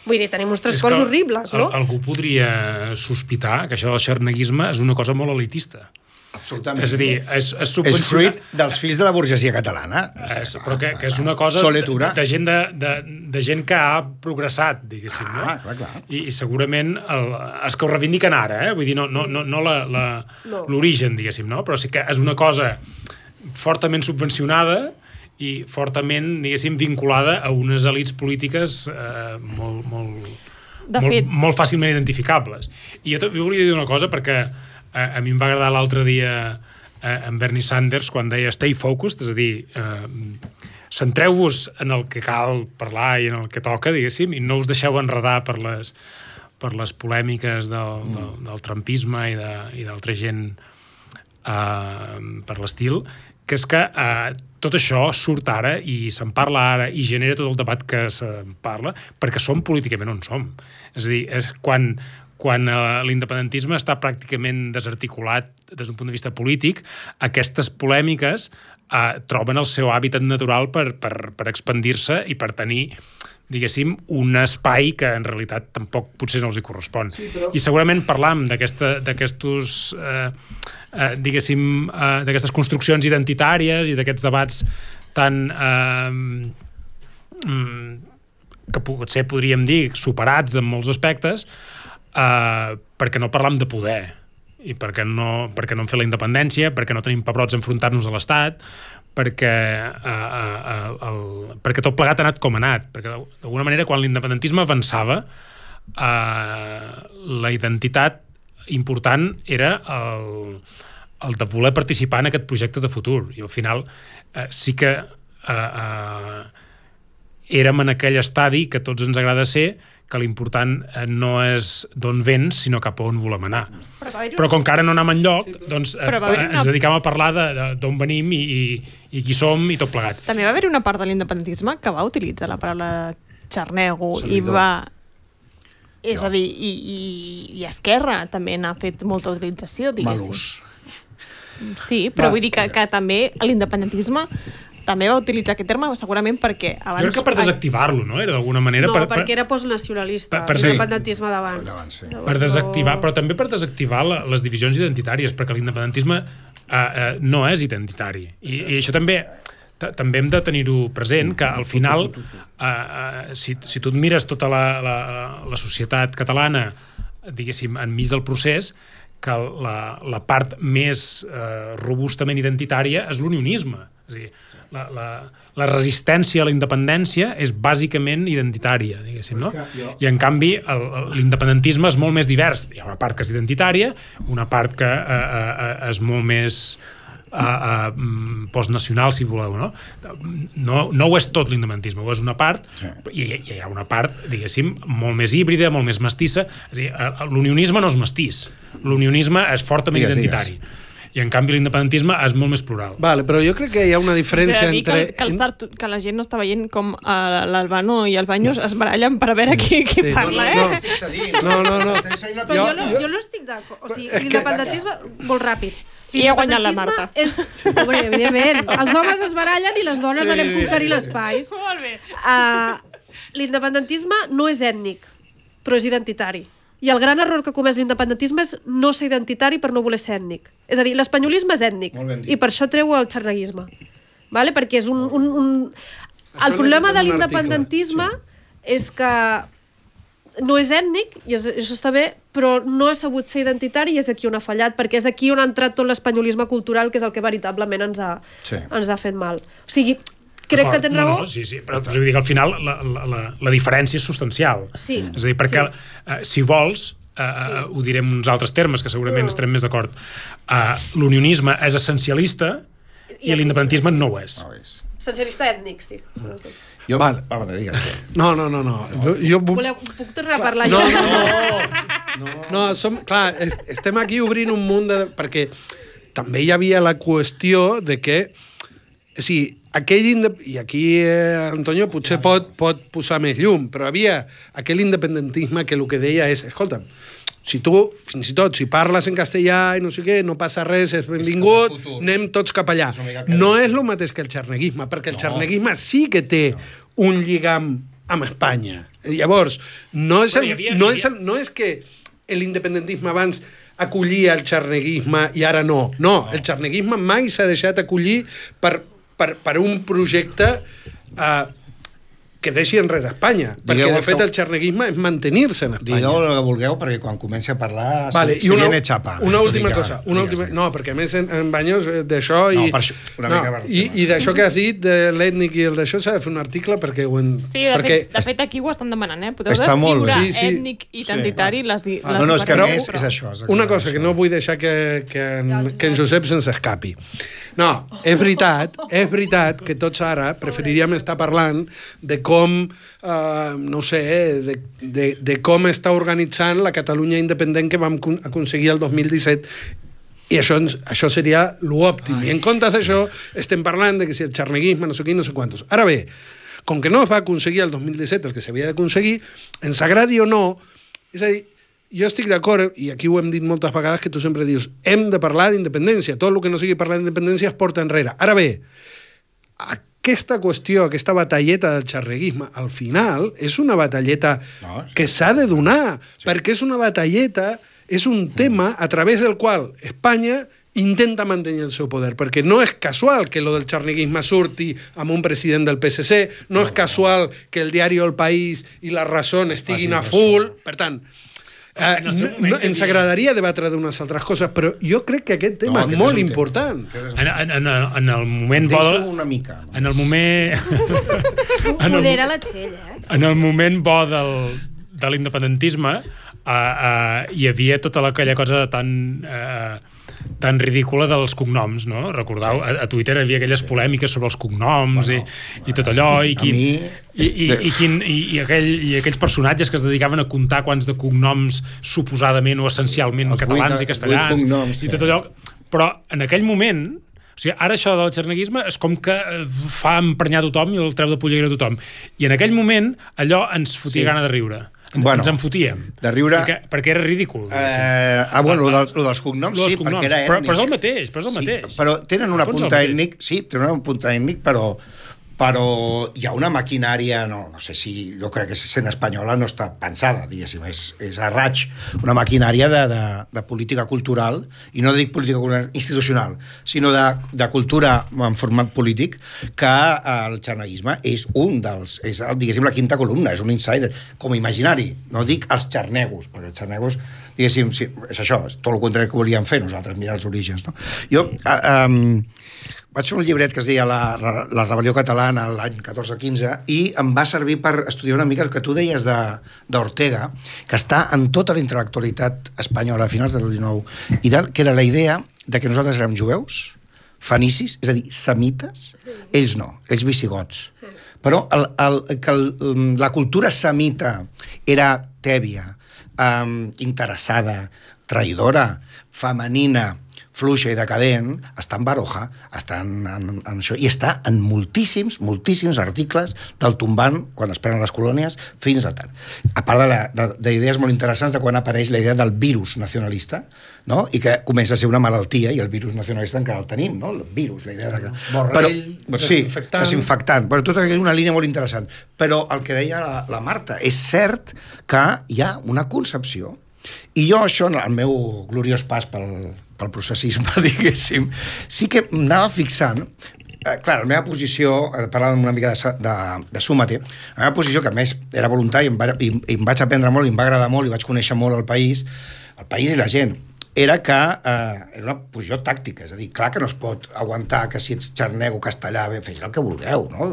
vull dir, tenim uns transports horribles, no?
Algú podria sospitar que això del xarneguisme és una cosa molt elitista.
Absolutament.
És a dir,
és fruit dels fills de la burgesia catalana.
Però que és una cosa de gent que ha progressat, diguéssim, no?
Clar.
I segurament els que ho reivindiquen ara, vull dir, no l'origen, diguéssim, no? Però sí que és una cosa fortament subvencionada i fortament, diguéssim, vinculada a unes elits polítiques molt fàcilment identificables. I jo volia dir una cosa, perquè a mi em va agradar l'altre dia en Bernie Sanders quan deia stay focused, és a dir, centreu-vos en el que cal parlar i en el que toca, diguéssim, i no us deixeu enredar per les polèmiques del trumpisme i d'altra gent per l'estil, que és que tot això surt ara i se'n parla ara i genera tot el debat que se'n parla perquè som políticament on som. És a dir, és quan l'independentisme està pràcticament desarticulat des d'un punt de vista polític, aquestes polèmiques troben el seu hàbitat natural per expandir-se i per tenir, diguéssim, un espai que en realitat tampoc potser no els hi correspon. Sí, però... I segurament parlam d'aquestes construccions identitàries i d'aquests debats tan que potser podríem dir superats en molts aspectes, perquè no parlam de poder i perquè no hem fet la independència, perquè no tenim pebrots a enfrontar-nos a l'Estat, perquè tot plegat ha anat com ha anat, perquè d'alguna manera quan l'independentisme avançava la identitat important era el de voler participar en aquest projecte de futur, i al final sí que érem en aquell estadi que tots ens agrada ser, que l'important no és d'on vens, sinó cap a on volem anar. Però com que ara no anem enlloc, doncs ens dedicam a parlar d'on venim i qui som i tot plegat.
També va haver una part de l'independentisme que va utilitzar la paraula xarnego i va... És a dir, i Esquerra també n'ha fet molta utilització, diguéssim.
Malús.
Sí, però vull dir que també l'independentisme també va utilitzar aquest terme segurament perquè abans...
Jo crec que per desactivar-lo, no? Era d'alguna manera...
No, perquè era postnacionalista, l'independentisme d'abans.
Per desactivar, però també per desactivar les divisions identitàries, perquè l'independentisme no és identitari. I això també hem de tenir-ho present, que al final, si tu et mires tota la societat catalana, diguéssim, enmig del procés, que la part més robustament identitària és l'unionisme. És a dir, la resistència a la independència és bàsicament identitària, diguéssim, no? I en canvi l'independentisme és molt més divers. Hi ha una part que és identitària, una part que és molt més postnacional, si voleu, no? No ho és tot l'independentisme, ho és una part, i hi ha una part, diguéssim, molt més híbrida, molt més mestissa. És a dir, l'unionisme no és mestís, l'unionisme és fortament identitari. I en canvi l'independentisme és molt més plural.
Vale, però jo crec que hi ha una diferència entre...
Que la gent no està veient com l'Albano i el Banyos es barallen per a veure qui parla,
No.
Però jo no estic d'acord. O sigui, l'independentisme, molt ràpid.
I ha guanyat la Marta.
Home, evidentment. Els homes es barallen i les dones anem conquerir l'espai.
Molt bé.
L'independentisme no és ètnic, però és identitari. I el gran error que ha comès l'independentisme és no ser identitari per no voler ser ètnic. És a dir, l'espanyolisme és ètnic i per això treu el xarneguisme. Vale? Perquè és el problema de l'independentisme és que no és ètnic, i això està bé, però no ha sabut ser identitari i és aquí on ha fallat, perquè és aquí on ha entrat tot l'espanyolisme cultural, que és el que veritablement ens ha fet mal. O sigui, crec que tens raó.
Sí, però vull dir que al final la diferència és substancial.
Sí.
És a dir, perquè si vols, ho direm en uns altres termes, que segurament estarem més d'acord, l'unionisme és essencialista i l'independentisme no ho és.
Essencialista ètnic, sí.
No.
Puc tornar a parlar jo?
No. No, clar, estem aquí obrint un munt de... Perquè també hi havia la qüestió de que... O sigui, i aquí Antonio potser pot posar més llum, però havia aquell independentisme que el que deia és, escolta'm, si tu, fins i tot, si parles en castellà i no sé què, no passa res, és benvingut, anem tots cap allà. No és el mateix que el xarneguisme, perquè el xarneguisme sí que té un lligam amb Espanya. Llavors, no és que l'independentisme abans acollia el xarneguisme i ara no. No, el xarneguisme mai s'ha deixat acollir per un projecte que deixi enrere Espanya, perquè de fet el xarneguisme és mantenir-se en Espanya.
Digueu el que vulgueu, perquè quan comenci a parlar
vale,
se viene xapa.
Una última cosa. No, perquè a més en Baños d'això... I d'això que has dit, de l'ètnic i el d'això, s'ha de fer un article perquè ho...
Sí, de fet aquí ho estan demanant, Podeu descriure ètnic i identitari les
no, és que a més és això.
Una cosa que no vull deixar que en Josep se'ns escapi. No, és veritat que tots ara preferiríem estar parlant de com, no sé, de com està organitzant la Catalunya independent que vam aconseguir el 2017 i això seria l'òptim. I en comptes d'això estem parlant de que si el xarneguisme, no sé qui, no sé quantos. Ara bé, com que no es va aconseguir el 2017 el que s'havia d'aconseguir, ens agradi o no, és a dir, jo estic d'acord, i aquí ho hem dit moltes vegades, que tu sempre dius, hem de parlar d'independència, tot el que no sigui parlar d'independència es porta enrere. Ara bé, aquesta qüestió, aquesta batalleta del xarneguisme, al final, és una batalleta que s'ha de donar, perquè és una batalleta, és un tema a través del qual Espanya intenta mantenir el seu poder, perquè no és casual que lo del xarneguisme surti amb un president del PSC, no és casual que el diari El País i La Razón estiguin a full, per tant... ens agradaria debatre d'unes altres coses, però jo crec que aquest tema és molt important.
En el moment bo...
Deixa'm una mica.
En el moment...
Modera la Txell,
En el moment bo de l'independentisme hi havia tota aquella cosa tan ridícula dels cognoms, no? Recordeu? A Twitter hi havia aquelles polèmiques sobre els cognoms i tot allò, i aquells personatges que es dedicaven a comptar quants de cognoms suposadament o essencialment catalans i castellans i tot allò. Però en aquell moment, o sigui, ara això del xarneguisme és com que fa emprenyar tothom i el treu de polleguera a tothom. I en aquell moment allò ens fotia gana de riure. Ens en fotíem.
De riure...
Perquè era ridícul.
Lo dels cognoms, sí, perquè era ètnic.
Però és el mateix,
però tenen una punta ètnic, però hi ha una maquinària, no sé si, jo crec que sent espanyola no està pensada, diguéssim, és a raig, una maquinària de política cultural, i no dic política cultural institucional, sinó de cultura en format polític, que el xarneguisme és diguéssim, la quinta columna, és un insider, com a imaginari, no dic els xarnegos, perquè els xarnegos, diguéssim, sí, és això, és tot el contrari que volíem fer nosaltres, mirar els orígens, no? Jo... vaig fer un llibret que es deia La rebel·lió catalana l'any 14-15 i em va servir per estudiar una mica el que tu deies d'Ortega, que està en tota la intel·lectualitat espanyola a finals del XIX i tal, que era la idea de que nosaltres érem jueus, fenicis, és a dir, semites, ells no, ells visigots. Però la cultura semita era tèbia, interessada, traïdora, femenina, fluixa i decadent, està en Baroja, està en això, i està en moltíssims articles del tombant, quan es prenen les colònies, fins a tal. A part d'idees molt interessants de quan apareix la idea del virus nacionalista, no? I que comença a ser una malaltia, i el virus nacionalista encara el tenim, no? El virus, la idea de...
Borrell,
desinfectant. Però tot és una línia molt interessant. Però el que deia la Marta, és cert que hi ha una concepció, i jo això, en el meu gloriós pas pel processisme, diguéssim, sí que m'anava fixant, clar, la meva posició, parlàvem una mica de Súmate, la meva posició, que a més era voluntària, i em vaig aprendre molt, i em va agradar molt, i vaig conèixer molt el país i la gent, era que era una posició tàctica, és a dir, clar que no es pot aguantar que si ets xarnego, castellà, fes el que vulgueu, no?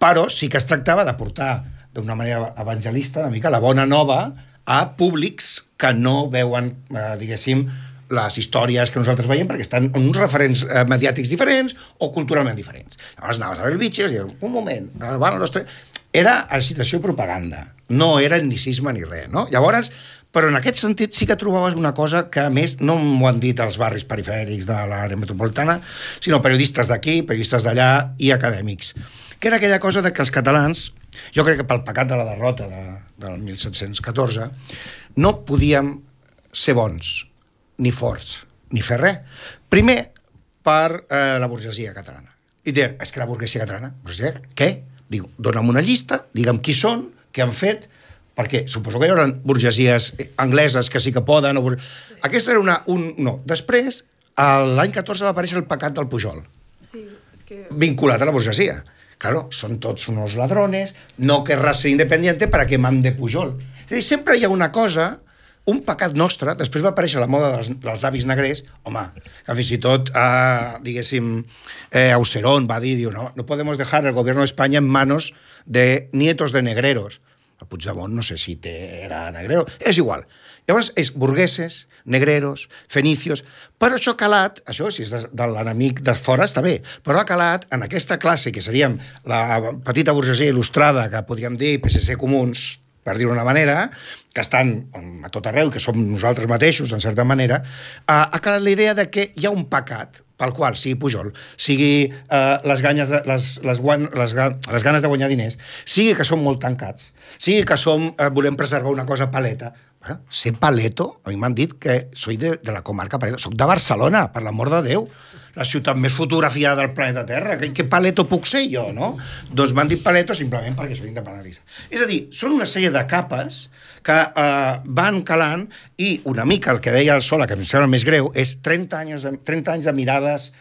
Però sí que es tractava de portar d'una manera evangelista una mica la bona nova a públics que no veuen, diguéssim, les històries que nosaltres veiem perquè estan en uns referents mediàtics diferents o culturalment diferents. Llavors anaves a Belvitge i es diuen, un moment, era a situació de propaganda, no era etnicisme ni res, no? Llavors, Però en aquest sentit sí que trobaves una cosa que, a més, no m'ho han dit els barris perifèrics de l'àrea metropolitana, sinó periodistes d'aquí, periodistes d'allà i acadèmics, que era aquella cosa de que els catalans, jo crec que pel pecat de la derrota del 1714, no podíem ser bons, ni forts, ni fer res. Primer, per la burgesia catalana. I deien, és que la burgesia catalana, què? Diu, dona'm una llista, digue'm qui són, què han fet, perquè suposo que hi haurà burgesies angleses que sí que poden. Aquesta era no. Després, l'any 14 va aparèixer el pecat del Pujol.
Sí, és que...
Vinculat a la burgesia. Claro, son tots unos ladrones, no querrás ser independiente para que mande Pujol. És a dir, sempre hi ha una cosa, un pecat nostre, després va aparèixer la moda dels avis negrers, home, que fins i tot, diguéssim, Aucerón va dir, no podemos dejar el gobierno de España en manos de nietos de negreros. El Puigdemont no sé si era negrero, és igual. Llavors és burgueses, negreros, fenicios, però això ha calat, això si és de l'enemic de fora està bé, però ha calat en aquesta classe que seríem la petita burgesia il·lustrada, que podríem dir PSC comuns, per dir-ho d'una manera, que estan a tot arreu, que som nosaltres mateixos, en certa manera, ha calat la idea de que hi ha un pecat pel qual, sigui Pujol, sigui les ganes de guanyar diners, sigui que som molt tancats, sigui que volem preservar una cosa paleta. Bueno, ser paleto, a mi m'han dit que soy de la comarca Paleto, soc de Barcelona, per l'amor de Déu, la ciutat més fotografiada del planeta Terra, què paleto puc ser jo, no? Doncs m'han dit paleto simplement perquè soc independentista. És a dir, són una sèrie de capes que van calant i una mica el que deia el Sola, que em sembla més greu, és 30 anys de mirades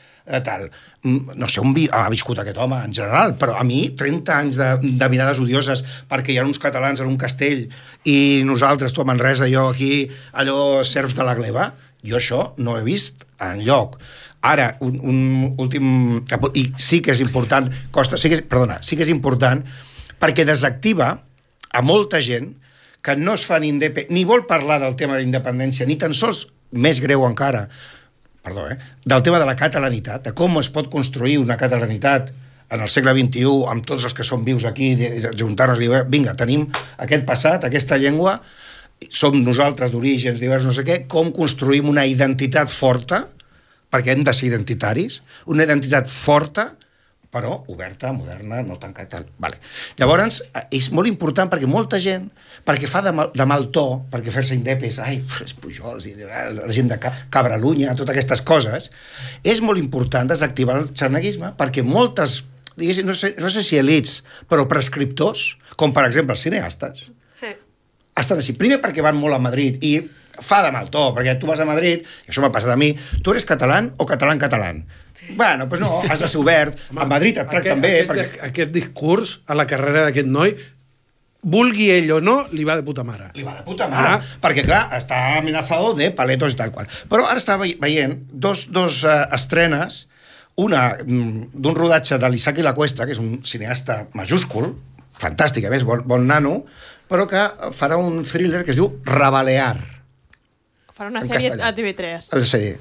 tal. No sé on ha viscut aquest home en general, però a mi 30 anys de mirades odioses perquè hi ha uns catalans en un castell i nosaltres, tu a Manresa, jo aquí, allò serfs de la gleba, jo això no he vist enlloc. Ara, un últim... I sí que és important, sí que és important perquè desactiva a molta gent que no es fan ni vol parlar del tema de la independència, ni tan sols, més greu encara, del tema de la catalanitat, de com es pot construir una catalanitat en el segle XXI, amb tots els que són vius aquí, juntar-nos i dir, vinga, tenim aquest passat, aquesta llengua, som nosaltres d'orígens diversos, no sé què, com construïm una identitat forta, perquè hem de ser identitaris, una identitat forta, però oberta, moderna, no tancada. Vale. Llavors, és molt important perquè molta gent, perquè fa de mal to, perquè fer-se indepes, els Pujols, la gent de Cabralunya, totes aquestes coses, és molt important desactivar el xarneguisme perquè moltes, diguéssim, no sé si elits, però prescriptors, com per exemple els cineastes, estan així. Primer perquè van molt a Madrid i fa de mal to, perquè tu vas a Madrid, i això m'ha passat a mi, tu eres català o català? Bueno, doncs no, has de ser obert. A Madrid et tracten bé.
Aquest discurs a la carrera d'aquest noi, vulgui ell o no, li va de puta mare.
Li va de puta mare, perquè clar, està amenazado de paletos i tal qual. Però ara està veient dos estrenes, una d'un rodatge de l'Isaac i la Cuesta, que és un cineasta majúscul, fantàstic, a més, bon nano, però que farà un thriller que es diu Rabalear.
Farà una sèrie a TV3.
La sèrie.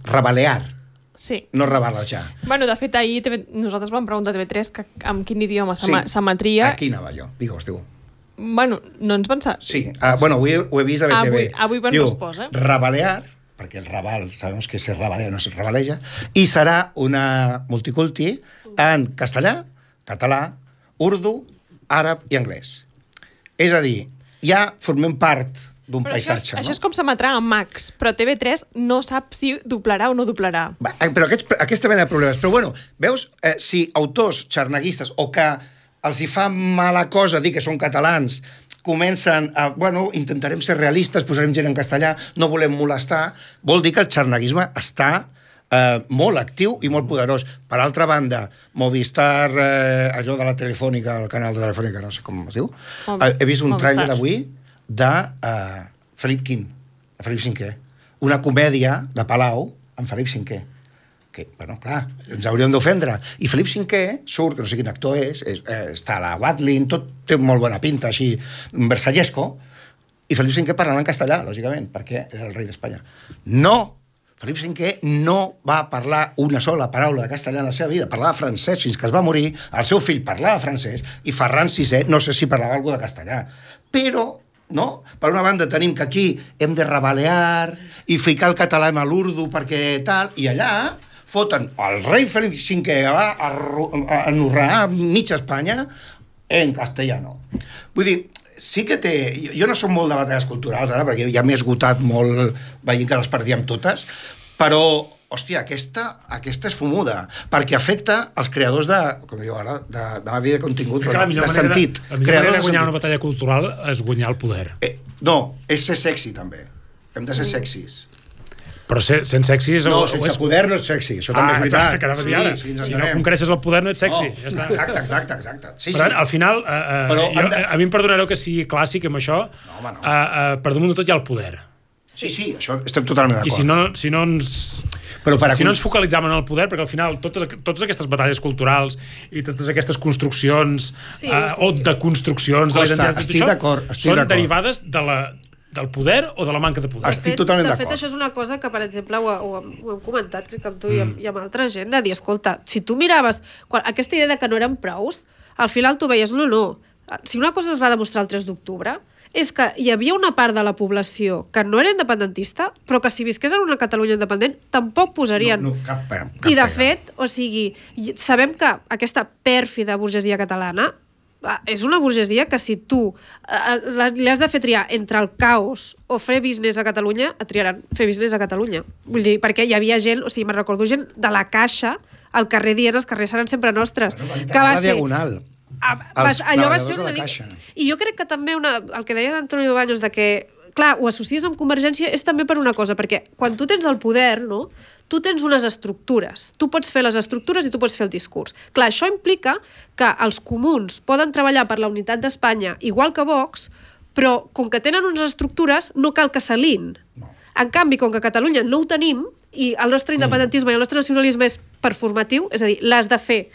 Rabalear.
Sí.
No rabalejar.
Bueno, de fet, ahir nosaltres vam preguntar a TV3 amb quin idioma s'emetria.
Aquí anava jo, digues.
Bueno, no ens van saber.
Sí, bueno, avui ho he vist a BTV.
Avui van resposta.
Rabalear, perquè el rabal, sabem que se rabalea, no se rabaleja, i serà una multiculti en castellà, català, urdu, àrab i anglès. És a dir, ja formem part d'un paisatge.
Això és com s'emetrà a Max, però TV3 no sap si doblarà o no doblarà.
Però aquesta mena de problemes. Però bueno, veus, si autors xarneguistes o que els hi fa mala cosa dir que són catalans comencen a, bueno, intentarem ser realistes, posarem gent en castellà, no volem molestar, vol dir que el xarneguisme està molt actiu i molt poderós. Per altra banda, Movistar, allò de la Telefònica, el canal de Telefònica, no sé com es diu, he vist un tràiler avui de Felip V, una comèdia de Palau amb Felip V, que, bueno, clar, ens hauríem d'ofendre. I Felip V surt, que no sé quin actor és, està a la Watlin, tot té molt bona pinta, així, versallesco, i Felip V parlant en castellà, lògicament, perquè és el rei d'Espanya. No! Felip V no va parlar una sola paraula de castellà en la seva vida, parlava francès fins que es va morir, el seu fill parlava francès, i Ferran VI no sé si parlava alguna de castellà. Però no? Per una banda tenim que aquí hem de rebalear i ficar el català a l'urdu perquè tal, i allà foten el rei Felip V que va enurrar mitja Espanya en castellano. Vull dir, sí que té... Jo no soc molt de batalles culturals ara, perquè ja m'he esgotat molt veient que les perdíem totes, però, hòstia, aquesta és fumuda, perquè afecta els creadors de, com diu ara, de contingut, de sentit.
La millor manera de guanyar una batalla cultural és guanyar el poder.
No, és ser sexy, també. Hem de ser sexis.
Però sent sexy...
No, sense poder no ets sexy, això també és veritat.
Si no conquereixes el poder no ets sexy.
Exacte.
Però al final, a mi em perdonareu que sigui clàssic amb això, per damunt de tot hi ha el poder.
Sí, això estem totalment d'acord.
I si no ens focalitzàvem en el poder, perquè al final totes aquestes batalles culturals i totes aquestes construccions o deconstruccions de l'identitat són derivades del poder o de la manca de poder.
Estic totalment d'acord.
De fet, això és una cosa que, per exemple, ho hem comentat, crec que amb tu i amb altra gent, de dir, escolta, si tu miraves aquesta idea de que no eren prous, al final tu veies, no. Si una cosa es va demostrar el 3 d'octubre, és que hi havia una part de la població que no era independentista, però que si visqués en una Catalunya independent tampoc posarien.
Cap
I de fet, o sigui, sabem que aquesta pèrfida burgesia catalana és una burgesia que si tu li has de fer triar entre el caos o fer business a Catalunya, et triaran fer business a Catalunya. Vull dir, perquè hi havia gent, o sigui, me'n recordo gent de la Caixa al carrer dient els carrers seran sempre nostres. Que va ser...
diagonal.
Allò va ser una... I jo crec que també el que deia Antonio Baños de que, clar, ho associes amb Convergència és també per una cosa, perquè quan tu tens el poder, no? Tu tens unes estructures. Tu pots fer les estructures i tu pots fer el discurs. Clar, això implica que els comuns poden treballar per la unitat d'Espanya igual que Vox, però com que tenen unes estructures no cal que s'alin. No. En canvi, com que a Catalunya no ho tenim i el nostre independentisme i el nostre nacionalisme és performatiu, és a dir, l'has de fer,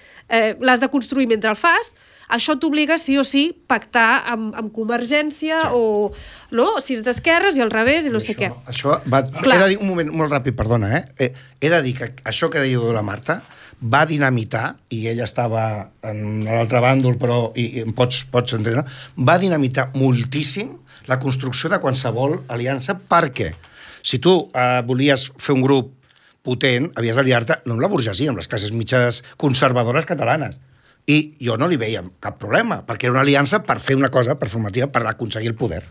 l'has de construir mentre el fas, això t'obliga sí o sí pactar amb Convergència o no? Si és d'esquerres i al revés i no sé què.
Això va... He de dir un moment molt ràpid, perdona, he de dir que això que diu la Marta va dinamitar, i ella estava en l'altre bàndol, però i pots entendre, va dinamitar moltíssim la construcció de qualsevol aliança, perquè si tu volies fer un grup potent, havies d'aliar-te no amb la burgesia, amb les classes mitges conservadores catalanes. I jo no li veia cap problema, perquè era una aliança per fer una cosa performativa, per aconseguir el poder.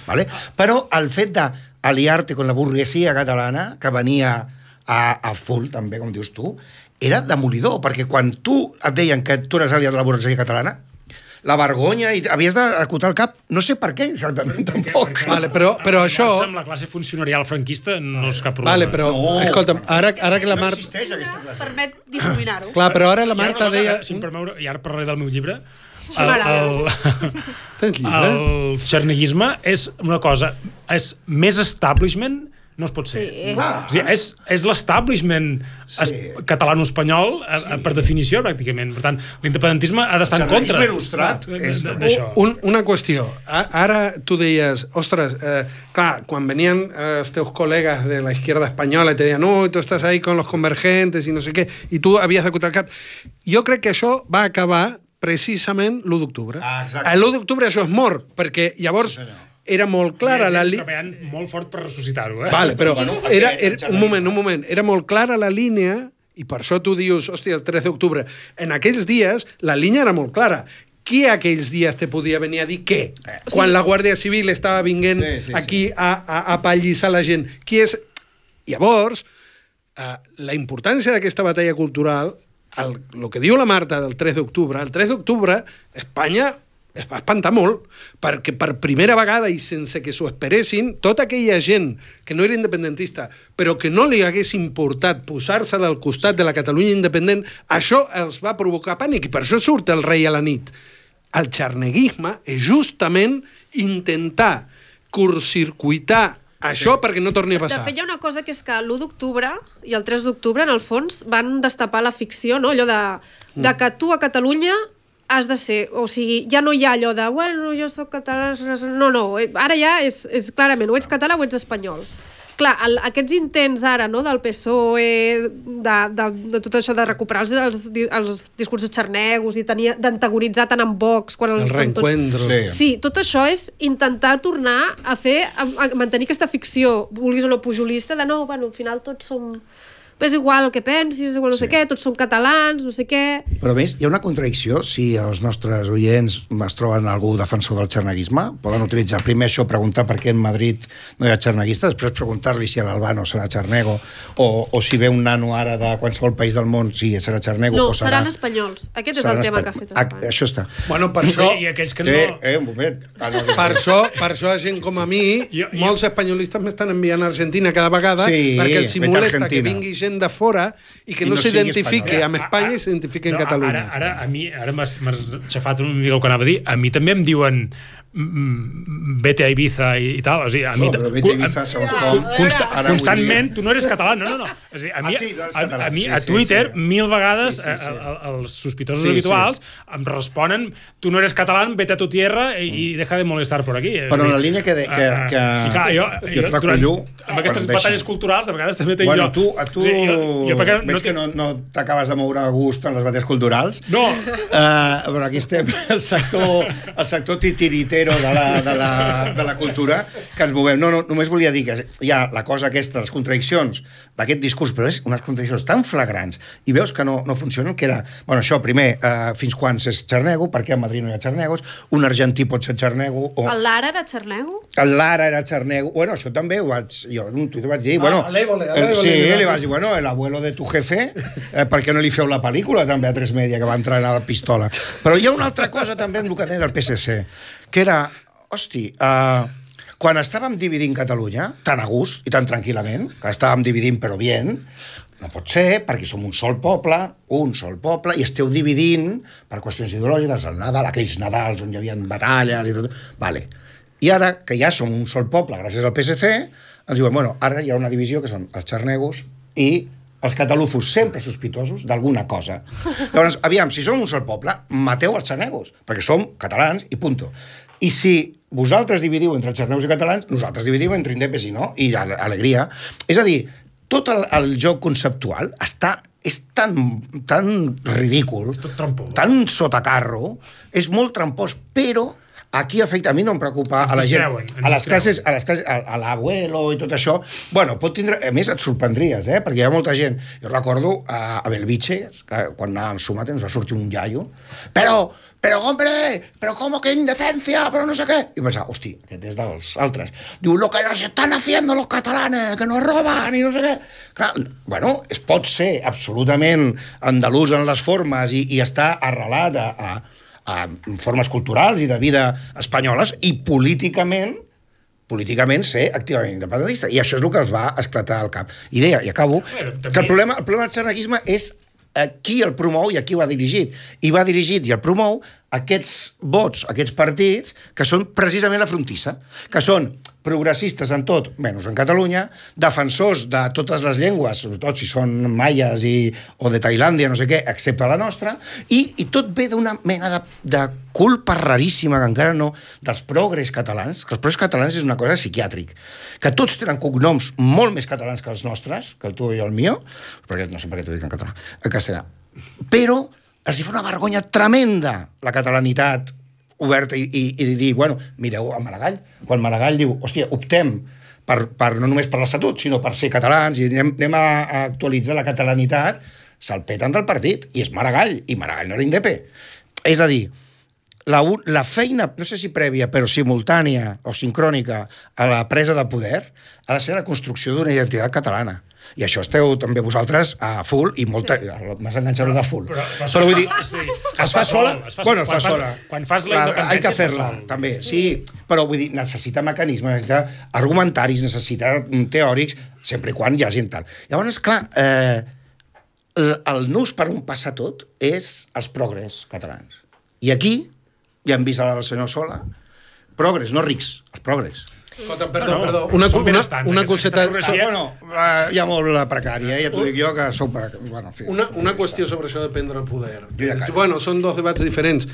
¿Vale? Però el fet d'aliar-te amb la burguesia catalana, que venia a full, també, com dius tu, era demolidor, perquè quan tu et deien que tu eres aliat de la burguesia catalana, la vergonya, i havies d'acotar el cap, no sé per què exactament, tampoc.
Vale, però això...
Amb la classe funcionarial franquista no és cap problema.
Vale, però, escolta'm, ara que la Marta...
No existeix aquesta classe.
Permet difuminar-ho.
Clar, però ara la Marta deia...
Si em permeu, i ara parlaré del meu llibre,
Tens llibre?
el xarneguisme és una cosa, és més establishment no es pot ser.
Sí.
O sigui, és l'establishment catalano-espanyol per definició, pràcticament. Per tant, l'independentisme ha d'estar en contra
d'això.
Una qüestió. Ara tu deies, ostres, clar, quan venien els teus col·legues de la izquierda espanyola i te deien, no, tu estàs ahí con los convergentes i no sé què, i tu havies d'acotar el cap. Jo crec que això va acabar precisament l'1 d'octubre. L'1 d'octubre això és mort, perquè llavors... era molt clara la línia...
treballant molt fort per ressuscitar-ho,
Vale, però un moment. Era molt clara la línia, i per això tu dius, hòstia, el 3 d'octubre. En aquells dies, la línia era molt clara. Qui aquells dies te podia venir a dir què? Quan la Guàrdia Civil estava vinguent aquí a apallissar la gent. Qui és... Llavors, la importància d'aquesta batalla cultural, el que diu la Marta del 3 d'octubre, el 3 d'octubre, Espanya es va espantar molt, perquè per primera vegada i sense que s'ho esperessin, tota aquella gent que no era independentista, però que no li hagués importat posar-se del costat de la Catalunya independent, això els va provocar pànic, i per això surt el rei a la nit. El xarneguisme és justament intentar curtcircuitar això perquè no torni a passar.
De fet, hi ha una cosa que és que l'1 d'octubre i el 3 d'octubre, en el fons, van destapar la ficció, no? Allò de que tu a Catalunya has de ser, o sigui, ja no hi ha allò de, bueno, jo soc català, no, ara ja és clarament, o ets català o ets espanyol. clar, aquests intents ara, no?, del PSOE, de tot això, de recuperar els discursos xarnegos i d'antagonitzar tant amb Vox...
El reencuentro.
Sí, tot això és intentar tornar a mantenir aquesta ficció, vulguis o no pujolista, de no, bueno, al final tots som... és igual el que pensis, igual no sé què, tots som catalans, no sé què...
Però a més, hi ha una contradicció, si els nostres oients es troben algú defensor del xarneguisme, poden utilitzar primer això, preguntar per què en Madrid no hi ha xarneguista, després preguntar-li si l'Albano serà xarnego, o si ve un nano ara de qualsevol país del món, si serà xarnego
no,
o serà...
seran espanyols. Aquest és el tema que ha fet Espanya.
Això està.
Bueno, per això...
I aquells que no...
Un moment.
Per això gent com a mi, molts espanyolistes m'estan enviant a Argentina cada vegada perquè els molesta que vingui gent de fora i que no s'identifiqui amb Espanya i s'identifiqui en Catalunya.
Ara m'has xafat una mica el que anava a dir. A mi també em diuen vete a Ibiza i tal. O sigui, a mi
vete a Ibiza, segons com...
Constantment, tu no eres català. No. O sigui, a mi a Twitter, 1000 vegades, els sospitosos habituals em responen tu no eres català, vete a tu tierra i deja de molestar por aquí.
Però en la línia que
jo et recollo... Amb aquestes batalles culturals, de vegades també tinc jo...
Tu veig que no t'acabes de moure a gust en les batalles culturals.
No.
Però aquí estem, el sector titiritero de la cultura que ens movem. No, només volia dir que hi ha la cosa aquesta, les contradiccions d'aquest discurs, però és unes contradiccions tan flagrants i veus que no funcionen, que era, bueno, això, primer, fins quan és xarnego, perquè a Madrid no hi ha xarnegos, un argentí pot ser xarnego...
El Lara era xarnego?
El Lara era xarnego. Bueno, això també jo en un tuit vaig dir, bueno... Sí, li vaig dir, bueno, el abuelo de tu jefe, per què no li feu la pel·lícula també a 3 Media, que va entrar a la pistola? Però hi ha una altra cosa també en el que deia del PSC, que era, hosti, quan estàvem dividint Catalunya, tan a gust i tan tranquil·lament, que estàvem dividint però bien, no pot ser, perquè som un sol poble, i esteu dividint per qüestions ideològiques, el Nadal, aquells Nadals on hi havia batalles i tot. Vale. I ara, que ja som un sol poble, gràcies al PSC, ens diuen, bueno, ara hi ha una divisió que són els xarnegos i els catalufos sempre sospitosos d'alguna cosa. Llavors, aviam, si som un sol poble, mateu els xarnegos, perquè som catalans i punto. I si vosaltres dividiu entre xarnegos i catalans, nosaltres dividim entre indepes i no, i alegria. És a dir, tot el joc conceptual és tan ridícul, tan sotacarro, és molt trampós, però aquí afecta, a mi no em preocupa a la gent, a les classes, a l'abuelo i tot això, bueno, pot tindre, a més et sorprendries, perquè hi ha molta gent, jo recordo a Belviche, que quan anàvem sumat ens va sortir un iaio, però hombre, pero cómo que indecencia, pero no sé qué, i pensava, hosti, aquest és dels altres, diu, lo que nos están haciendo los catalanes, que nos roban i no sé què. Clar, bueno, es pot ser absolutament andalús en les formes i està arrelat a formes culturals i de vida espanyoles i políticament ser activament independentista. I això és el que els va esclatar al cap. I deia, i acabo, que el problema del xarneguisme és qui el promou i a qui va dirigit. I va dirigit i el promou aquests vots, aquests partits, que són precisament la frontissa, que són progressistes en tot, menys en Catalunya, defensors de totes les llengües, sobretot si són maies o de Tailàndia, no sé què, excepte la nostra, i tot ve d'una mena de culpa raríssima, que encara no, dels progres catalans, que els progres catalans és una cosa psiquiàtric, que tots tenen cognoms molt més catalans que els nostres, que el tu i el mío, perquè no sé per què t'ho dic en català, en castellà, però els hi fa una vergonya tremenda la catalanitat oberta i dir, bueno, mireu a Maragall, quan Maragall diu, hòstia, optem no només per l'Estatut, sinó per ser catalans i anem a actualitzar la catalanitat, se'l peten del partit, i és Maragall, i Maragall no era indepe. És a dir, la feina, no sé si prèvia, però simultània o sincrònica a la presa de poder, ha de ser la construcció d'una identitat catalana. I això esteu també vosaltres a full i molta... M'has enganxat de full. Però vull dir, es fa sola? Bueno, es fa sola.
Quan fas la independència...
Hay que fer-la, també. Sí, però vull dir, necessita mecanismes, necessita argumentaris, necessita teòrics, sempre i quan hi hagi tal. Llavors, clar, el nus per on passa tot és els progres catalans. I aquí, ja hem vist el senyor Sola, progres, no rics, els progres.
Perdó. Una coseta...
Bueno, hi ha molt precària, ja t'ho dic jo, que sou precària. Bueno, en fi,
una qüestió sobre això de prendre el poder. Bueno, són dos debats diferents.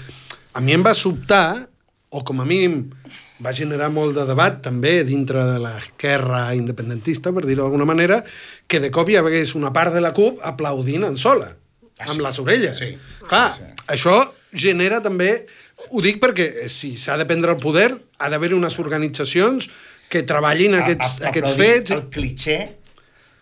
A mi em va sobtar, o com a mínim va generar molt de debat també dintre de l'esquerra independentista, per dir-ho d'alguna manera, que de cop hi hagués una part de la CUP aplaudint en sola, amb les orelles.
Sí.
Clar, això genera també... Ho dic perquè si s'ha de prendre el poder ha d'haver-hi unes organitzacions que treballin aquests fets.
El clitxé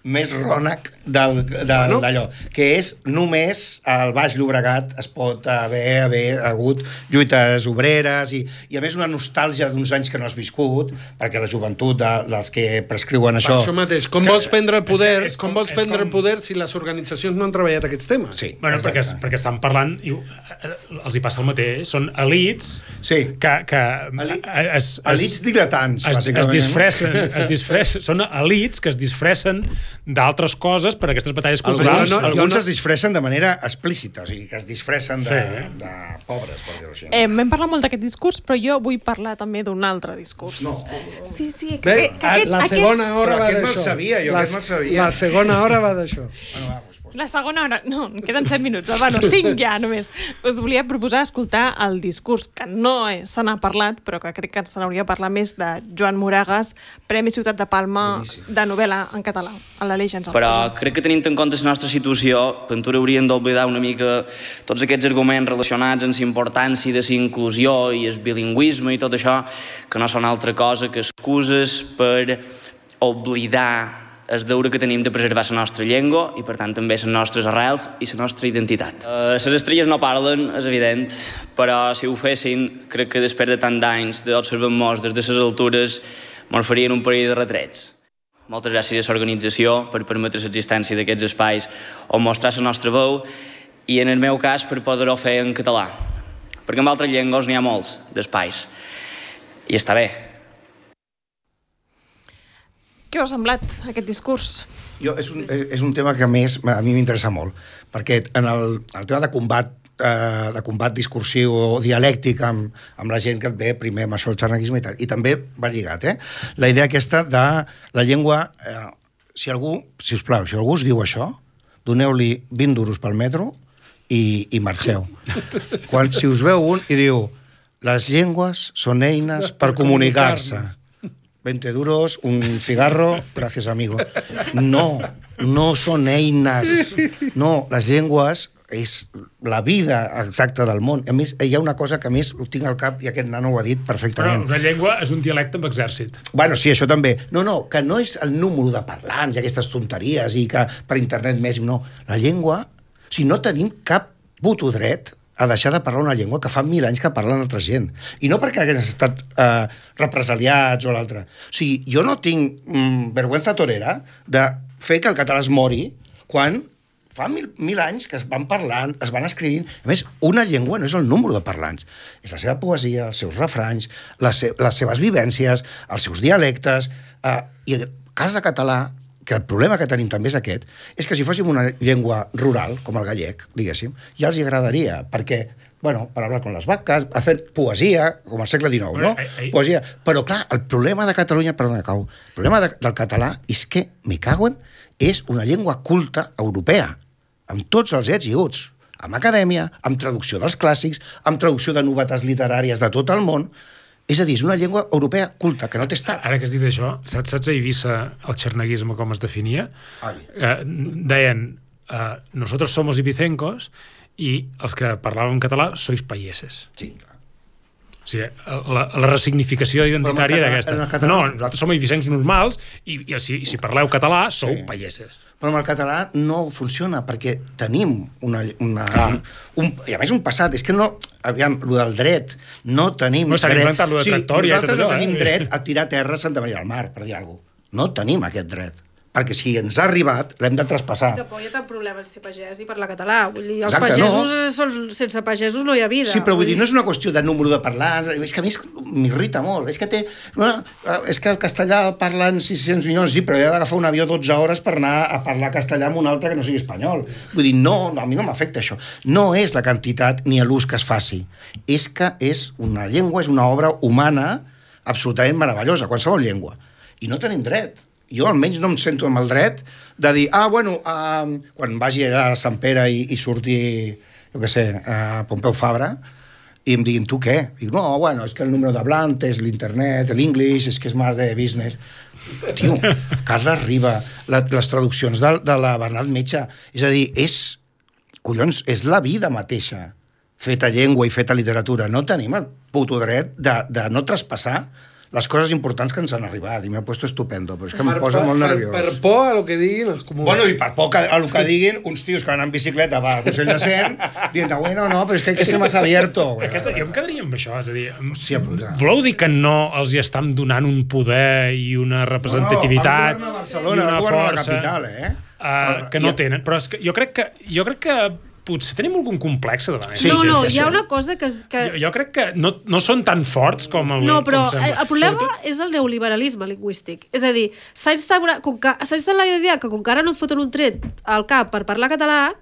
més rònec d'allò, que és només al Baix Llobregat es pot haver hagut lluites obreres i a més una nostàlgia d'uns anys que no has viscut, perquè la joventut dels que prescriuen això...
Per això mateix, com vols prendre el poder, el poder si les organitzacions no han treballat aquests temes?
Sí,
bueno, perquè estan parlant, els hi passa el mateix, són elits que
elits diletants, bàsicament.
Es disfressen, són elits que es disfressen d'altres coses per a aquestes batalles culturals.
Alguns es disfressen de manera explícita, o sigui, que es disfressen de pobres, per dir-ho així.
Hem parlat molt d'aquest discurs, però jo vull parlar també d'un altre discurs.
No.
Sí,
la segona hora va d'això.
Aquest me'l sabia.
La segona hora va d'això.
Bueno, va,
la segona hora... No, queden 7 minuts. Bueno, 5 ja, només. Us volia proposar escoltar el discurs, que no se n'ha parlat, però que crec que se n'hauria de parlar més, de Joan Moragas, Premi Ciutat de Palma de novel·la en català, a l'Aleix ens el
Però crec que tenint en compte la nostra situació, Ventura hauríem d'oblidar una mica tots aquests arguments relacionats amb la importància de la inclusió i el bilingüisme i tot això, que no són altra cosa que excuses per oblidar el deure que tenim de preservar la nostra llengua i, per tant, també les nostres arrels i la nostra identitat. Les estrelles no parlen, és evident, però si ho fessin, crec que després de tant d'anys d'observar-nos des de les altures, mos farien un parell de retrets. Moltes gràcies a l'organització per permetre l'existència d'aquests espais on mostrar la nostra veu i, en el meu cas, per poder-ho fer en català. Perquè en altres llengües n'hi ha molts d'espais. I està bé.
Què us ha semblat, aquest discurs?
És un tema que, a més, a mi m'interessa molt, perquè en el tema de combat discursiu o dialèctic amb la gent que et ve primer amb això el xarneguisme i tal, i també va lligat, la idea aquesta de la llengua... Si algú us diu això, doneu-li 20 duros pel metro i marxeu. Si us veu un i diu les llengües són eines per comunicar-se, 20 duros, un cigarro, gracias amigo. No són eines. No, les llengües és la vida exacta del món. A més, hi ha una cosa que a més ho tinc al cap i aquest nano ho ha dit perfectament.
Però una llengua és un dialecte amb exèrcit.
Bueno, sí, això també. No, que no és el número de parlants i aquestes tonteries i que per internet més... No, la llengua, si no tenim cap puto dret a deixar de parlar una llengua que fa 1000 anys que parlen altra gent. I no perquè hagués estat represaliats o l'altre. O sigui, jo no tinc vergüenza torera de fer que el català es mori quan fa 1000 anys que es van parlant, es van escrivint. A més, una llengua no és el número de parlants. És la seva poesia, els seus refranys, les seves vivències, els seus dialectes. I en el cas de català, que el problema que tenim també és aquest, és que si fóssim una llengua rural, com el gallec, diguéssim, ja els agradaria, perquè, bueno, per hablar con les vaques, hacer poesia, com al segle XIX, no? Poesia. Però, clar, el problema de Catalunya, el problema del català és que, me caguen, és una llengua culta europea, amb tots els ets i uts, amb acadèmia, amb traducció dels clàssics, amb traducció de novetats literàries de tot el món. És a dir, és una llengua europea culta, que no té estat.
Ara que has dit això, saps a Eivissa el xarneguisme com es definia? Deien, nosotros somos ibicencos i els que parlàvem català sois payeses.
Sí, clar.
O sigui, la resignificació identitària era aquesta. No, nosaltres som eivissencs normals i si parleu català sou payeses.
Però amb el català no funciona, perquè tenim i a més un passat, és que no, aviam, lo del dret, no tenim dret. Nosaltres no tenim dret a tirar terra a Santa Maria del Mar, per dir alguna cosa. No tenim aquest dret. Perquè si ens ha arribat, l'hem de traspassar.
I tampoc hi ha tant problema en ser pagès i parlar català. Vull dir, els pagesos, sense pagesos no hi ha vida.
Sí, però vull dir, no és una qüestió de número de parlants, és que a mi m'irrita molt. És que el castellà parlen 600 milions, sí, però he d'agafar un avió 12 hores per anar a parlar castellà amb un altre que no sigui espanyol. Vull dir, no, a mi no m'afecta això. No és la quantitat ni l'ús que es faci. És que és una llengua, és una obra humana absolutament meravellosa, qualsevol llengua. I no tenim dret. Jo almenys no em sento amb el dret de dir, quan vagi a Sant Pere i surti, jo què sé, Pompeu Fabra, i em diguin, tu què? Dic, no, bueno, és que el número d'hablant és l'internet, l'English, és que és més de business. Tio, Carles Riba, les traduccions de la Bernat Metge, és a dir, collons, és la vida mateixa, feta llengua i feta literatura. No tenim el puto dret de no traspassar les coses importants que ens han arribat, i m'he puesto estupendo, però és que em posa molt nerviós.
Per por a lo que diguin...
Bueno, i per por a lo que diguin uns tios que van en bicicleta al Consell de Cent, dient, bueno, no, però és que hay que ser más abierto.
Jo em quedaria amb això, és a dir,
hòstia,
voleu dir que no els hi estan donant un poder i una representativitat
no, Barcelona,
i una
força...
força
la capital,
que no tenen, però és que jo crec que potser tenim algun complex davant.
Sí,
no,
sí,
hi ha una cosa que...
Jo crec que no són tan forts com el...
No, però
el
problema és el neoliberalisme lingüístic. És a dir, s'ha instal·lat la idea que com que ara no et foten un tret al cap per parlar català,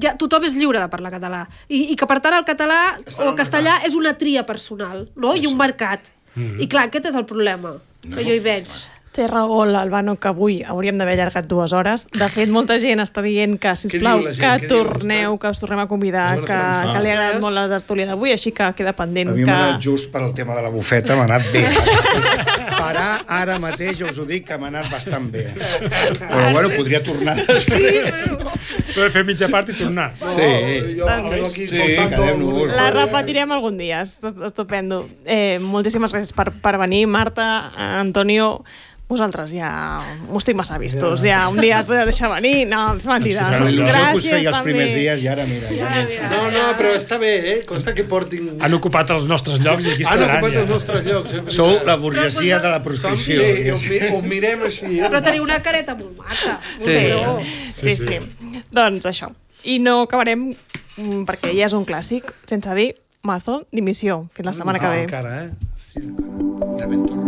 ja tothom és lliure de parlar català. I que, per tant, el català o el castellà és una tria personal, no? I un mercat. I clar, aquest és el problema que jo hi veig.
Té raó l'Albano que avui hauríem d'haver allargat 2 hores. De fet, molta gent està dient que, sisplau, que tornem a convidar, que li ha agradat molt la tertúlia d'avui, així que queda pendent.
A mi m'ha anat just per el tema de la bufeta, m'ha anat bé. Parar ara mateix, us ho dic, que m'ha anat bastant bé. Però, bueno, podria tornar.
Sí, però fer mitja part i tornar.
Sí, quedem-nos.
La repetirem algun dia, estupendo. Moltíssimes gràcies per venir, Marta, Antonio. Vosaltres ja m'ho estic massa vistos, ja un dia et podeu deixar venir, no, és mentida.
Gràcies que us feia els primers dies i ara mira.
No, però està bé, consta que portin...
Han ocupat els nostres llocs i aquí es quedaran.
Han ocupat els nostres llocs.
Sou la burgesia de la proscripció.
Sí, ho mirem així.
Però teniu una careta molt maca.
Sí. Doncs això. I no acabarem, perquè ja és un clàssic, sense dir mazo, dimissió. Fins la setmana que ve.
Encara,
De Ventura.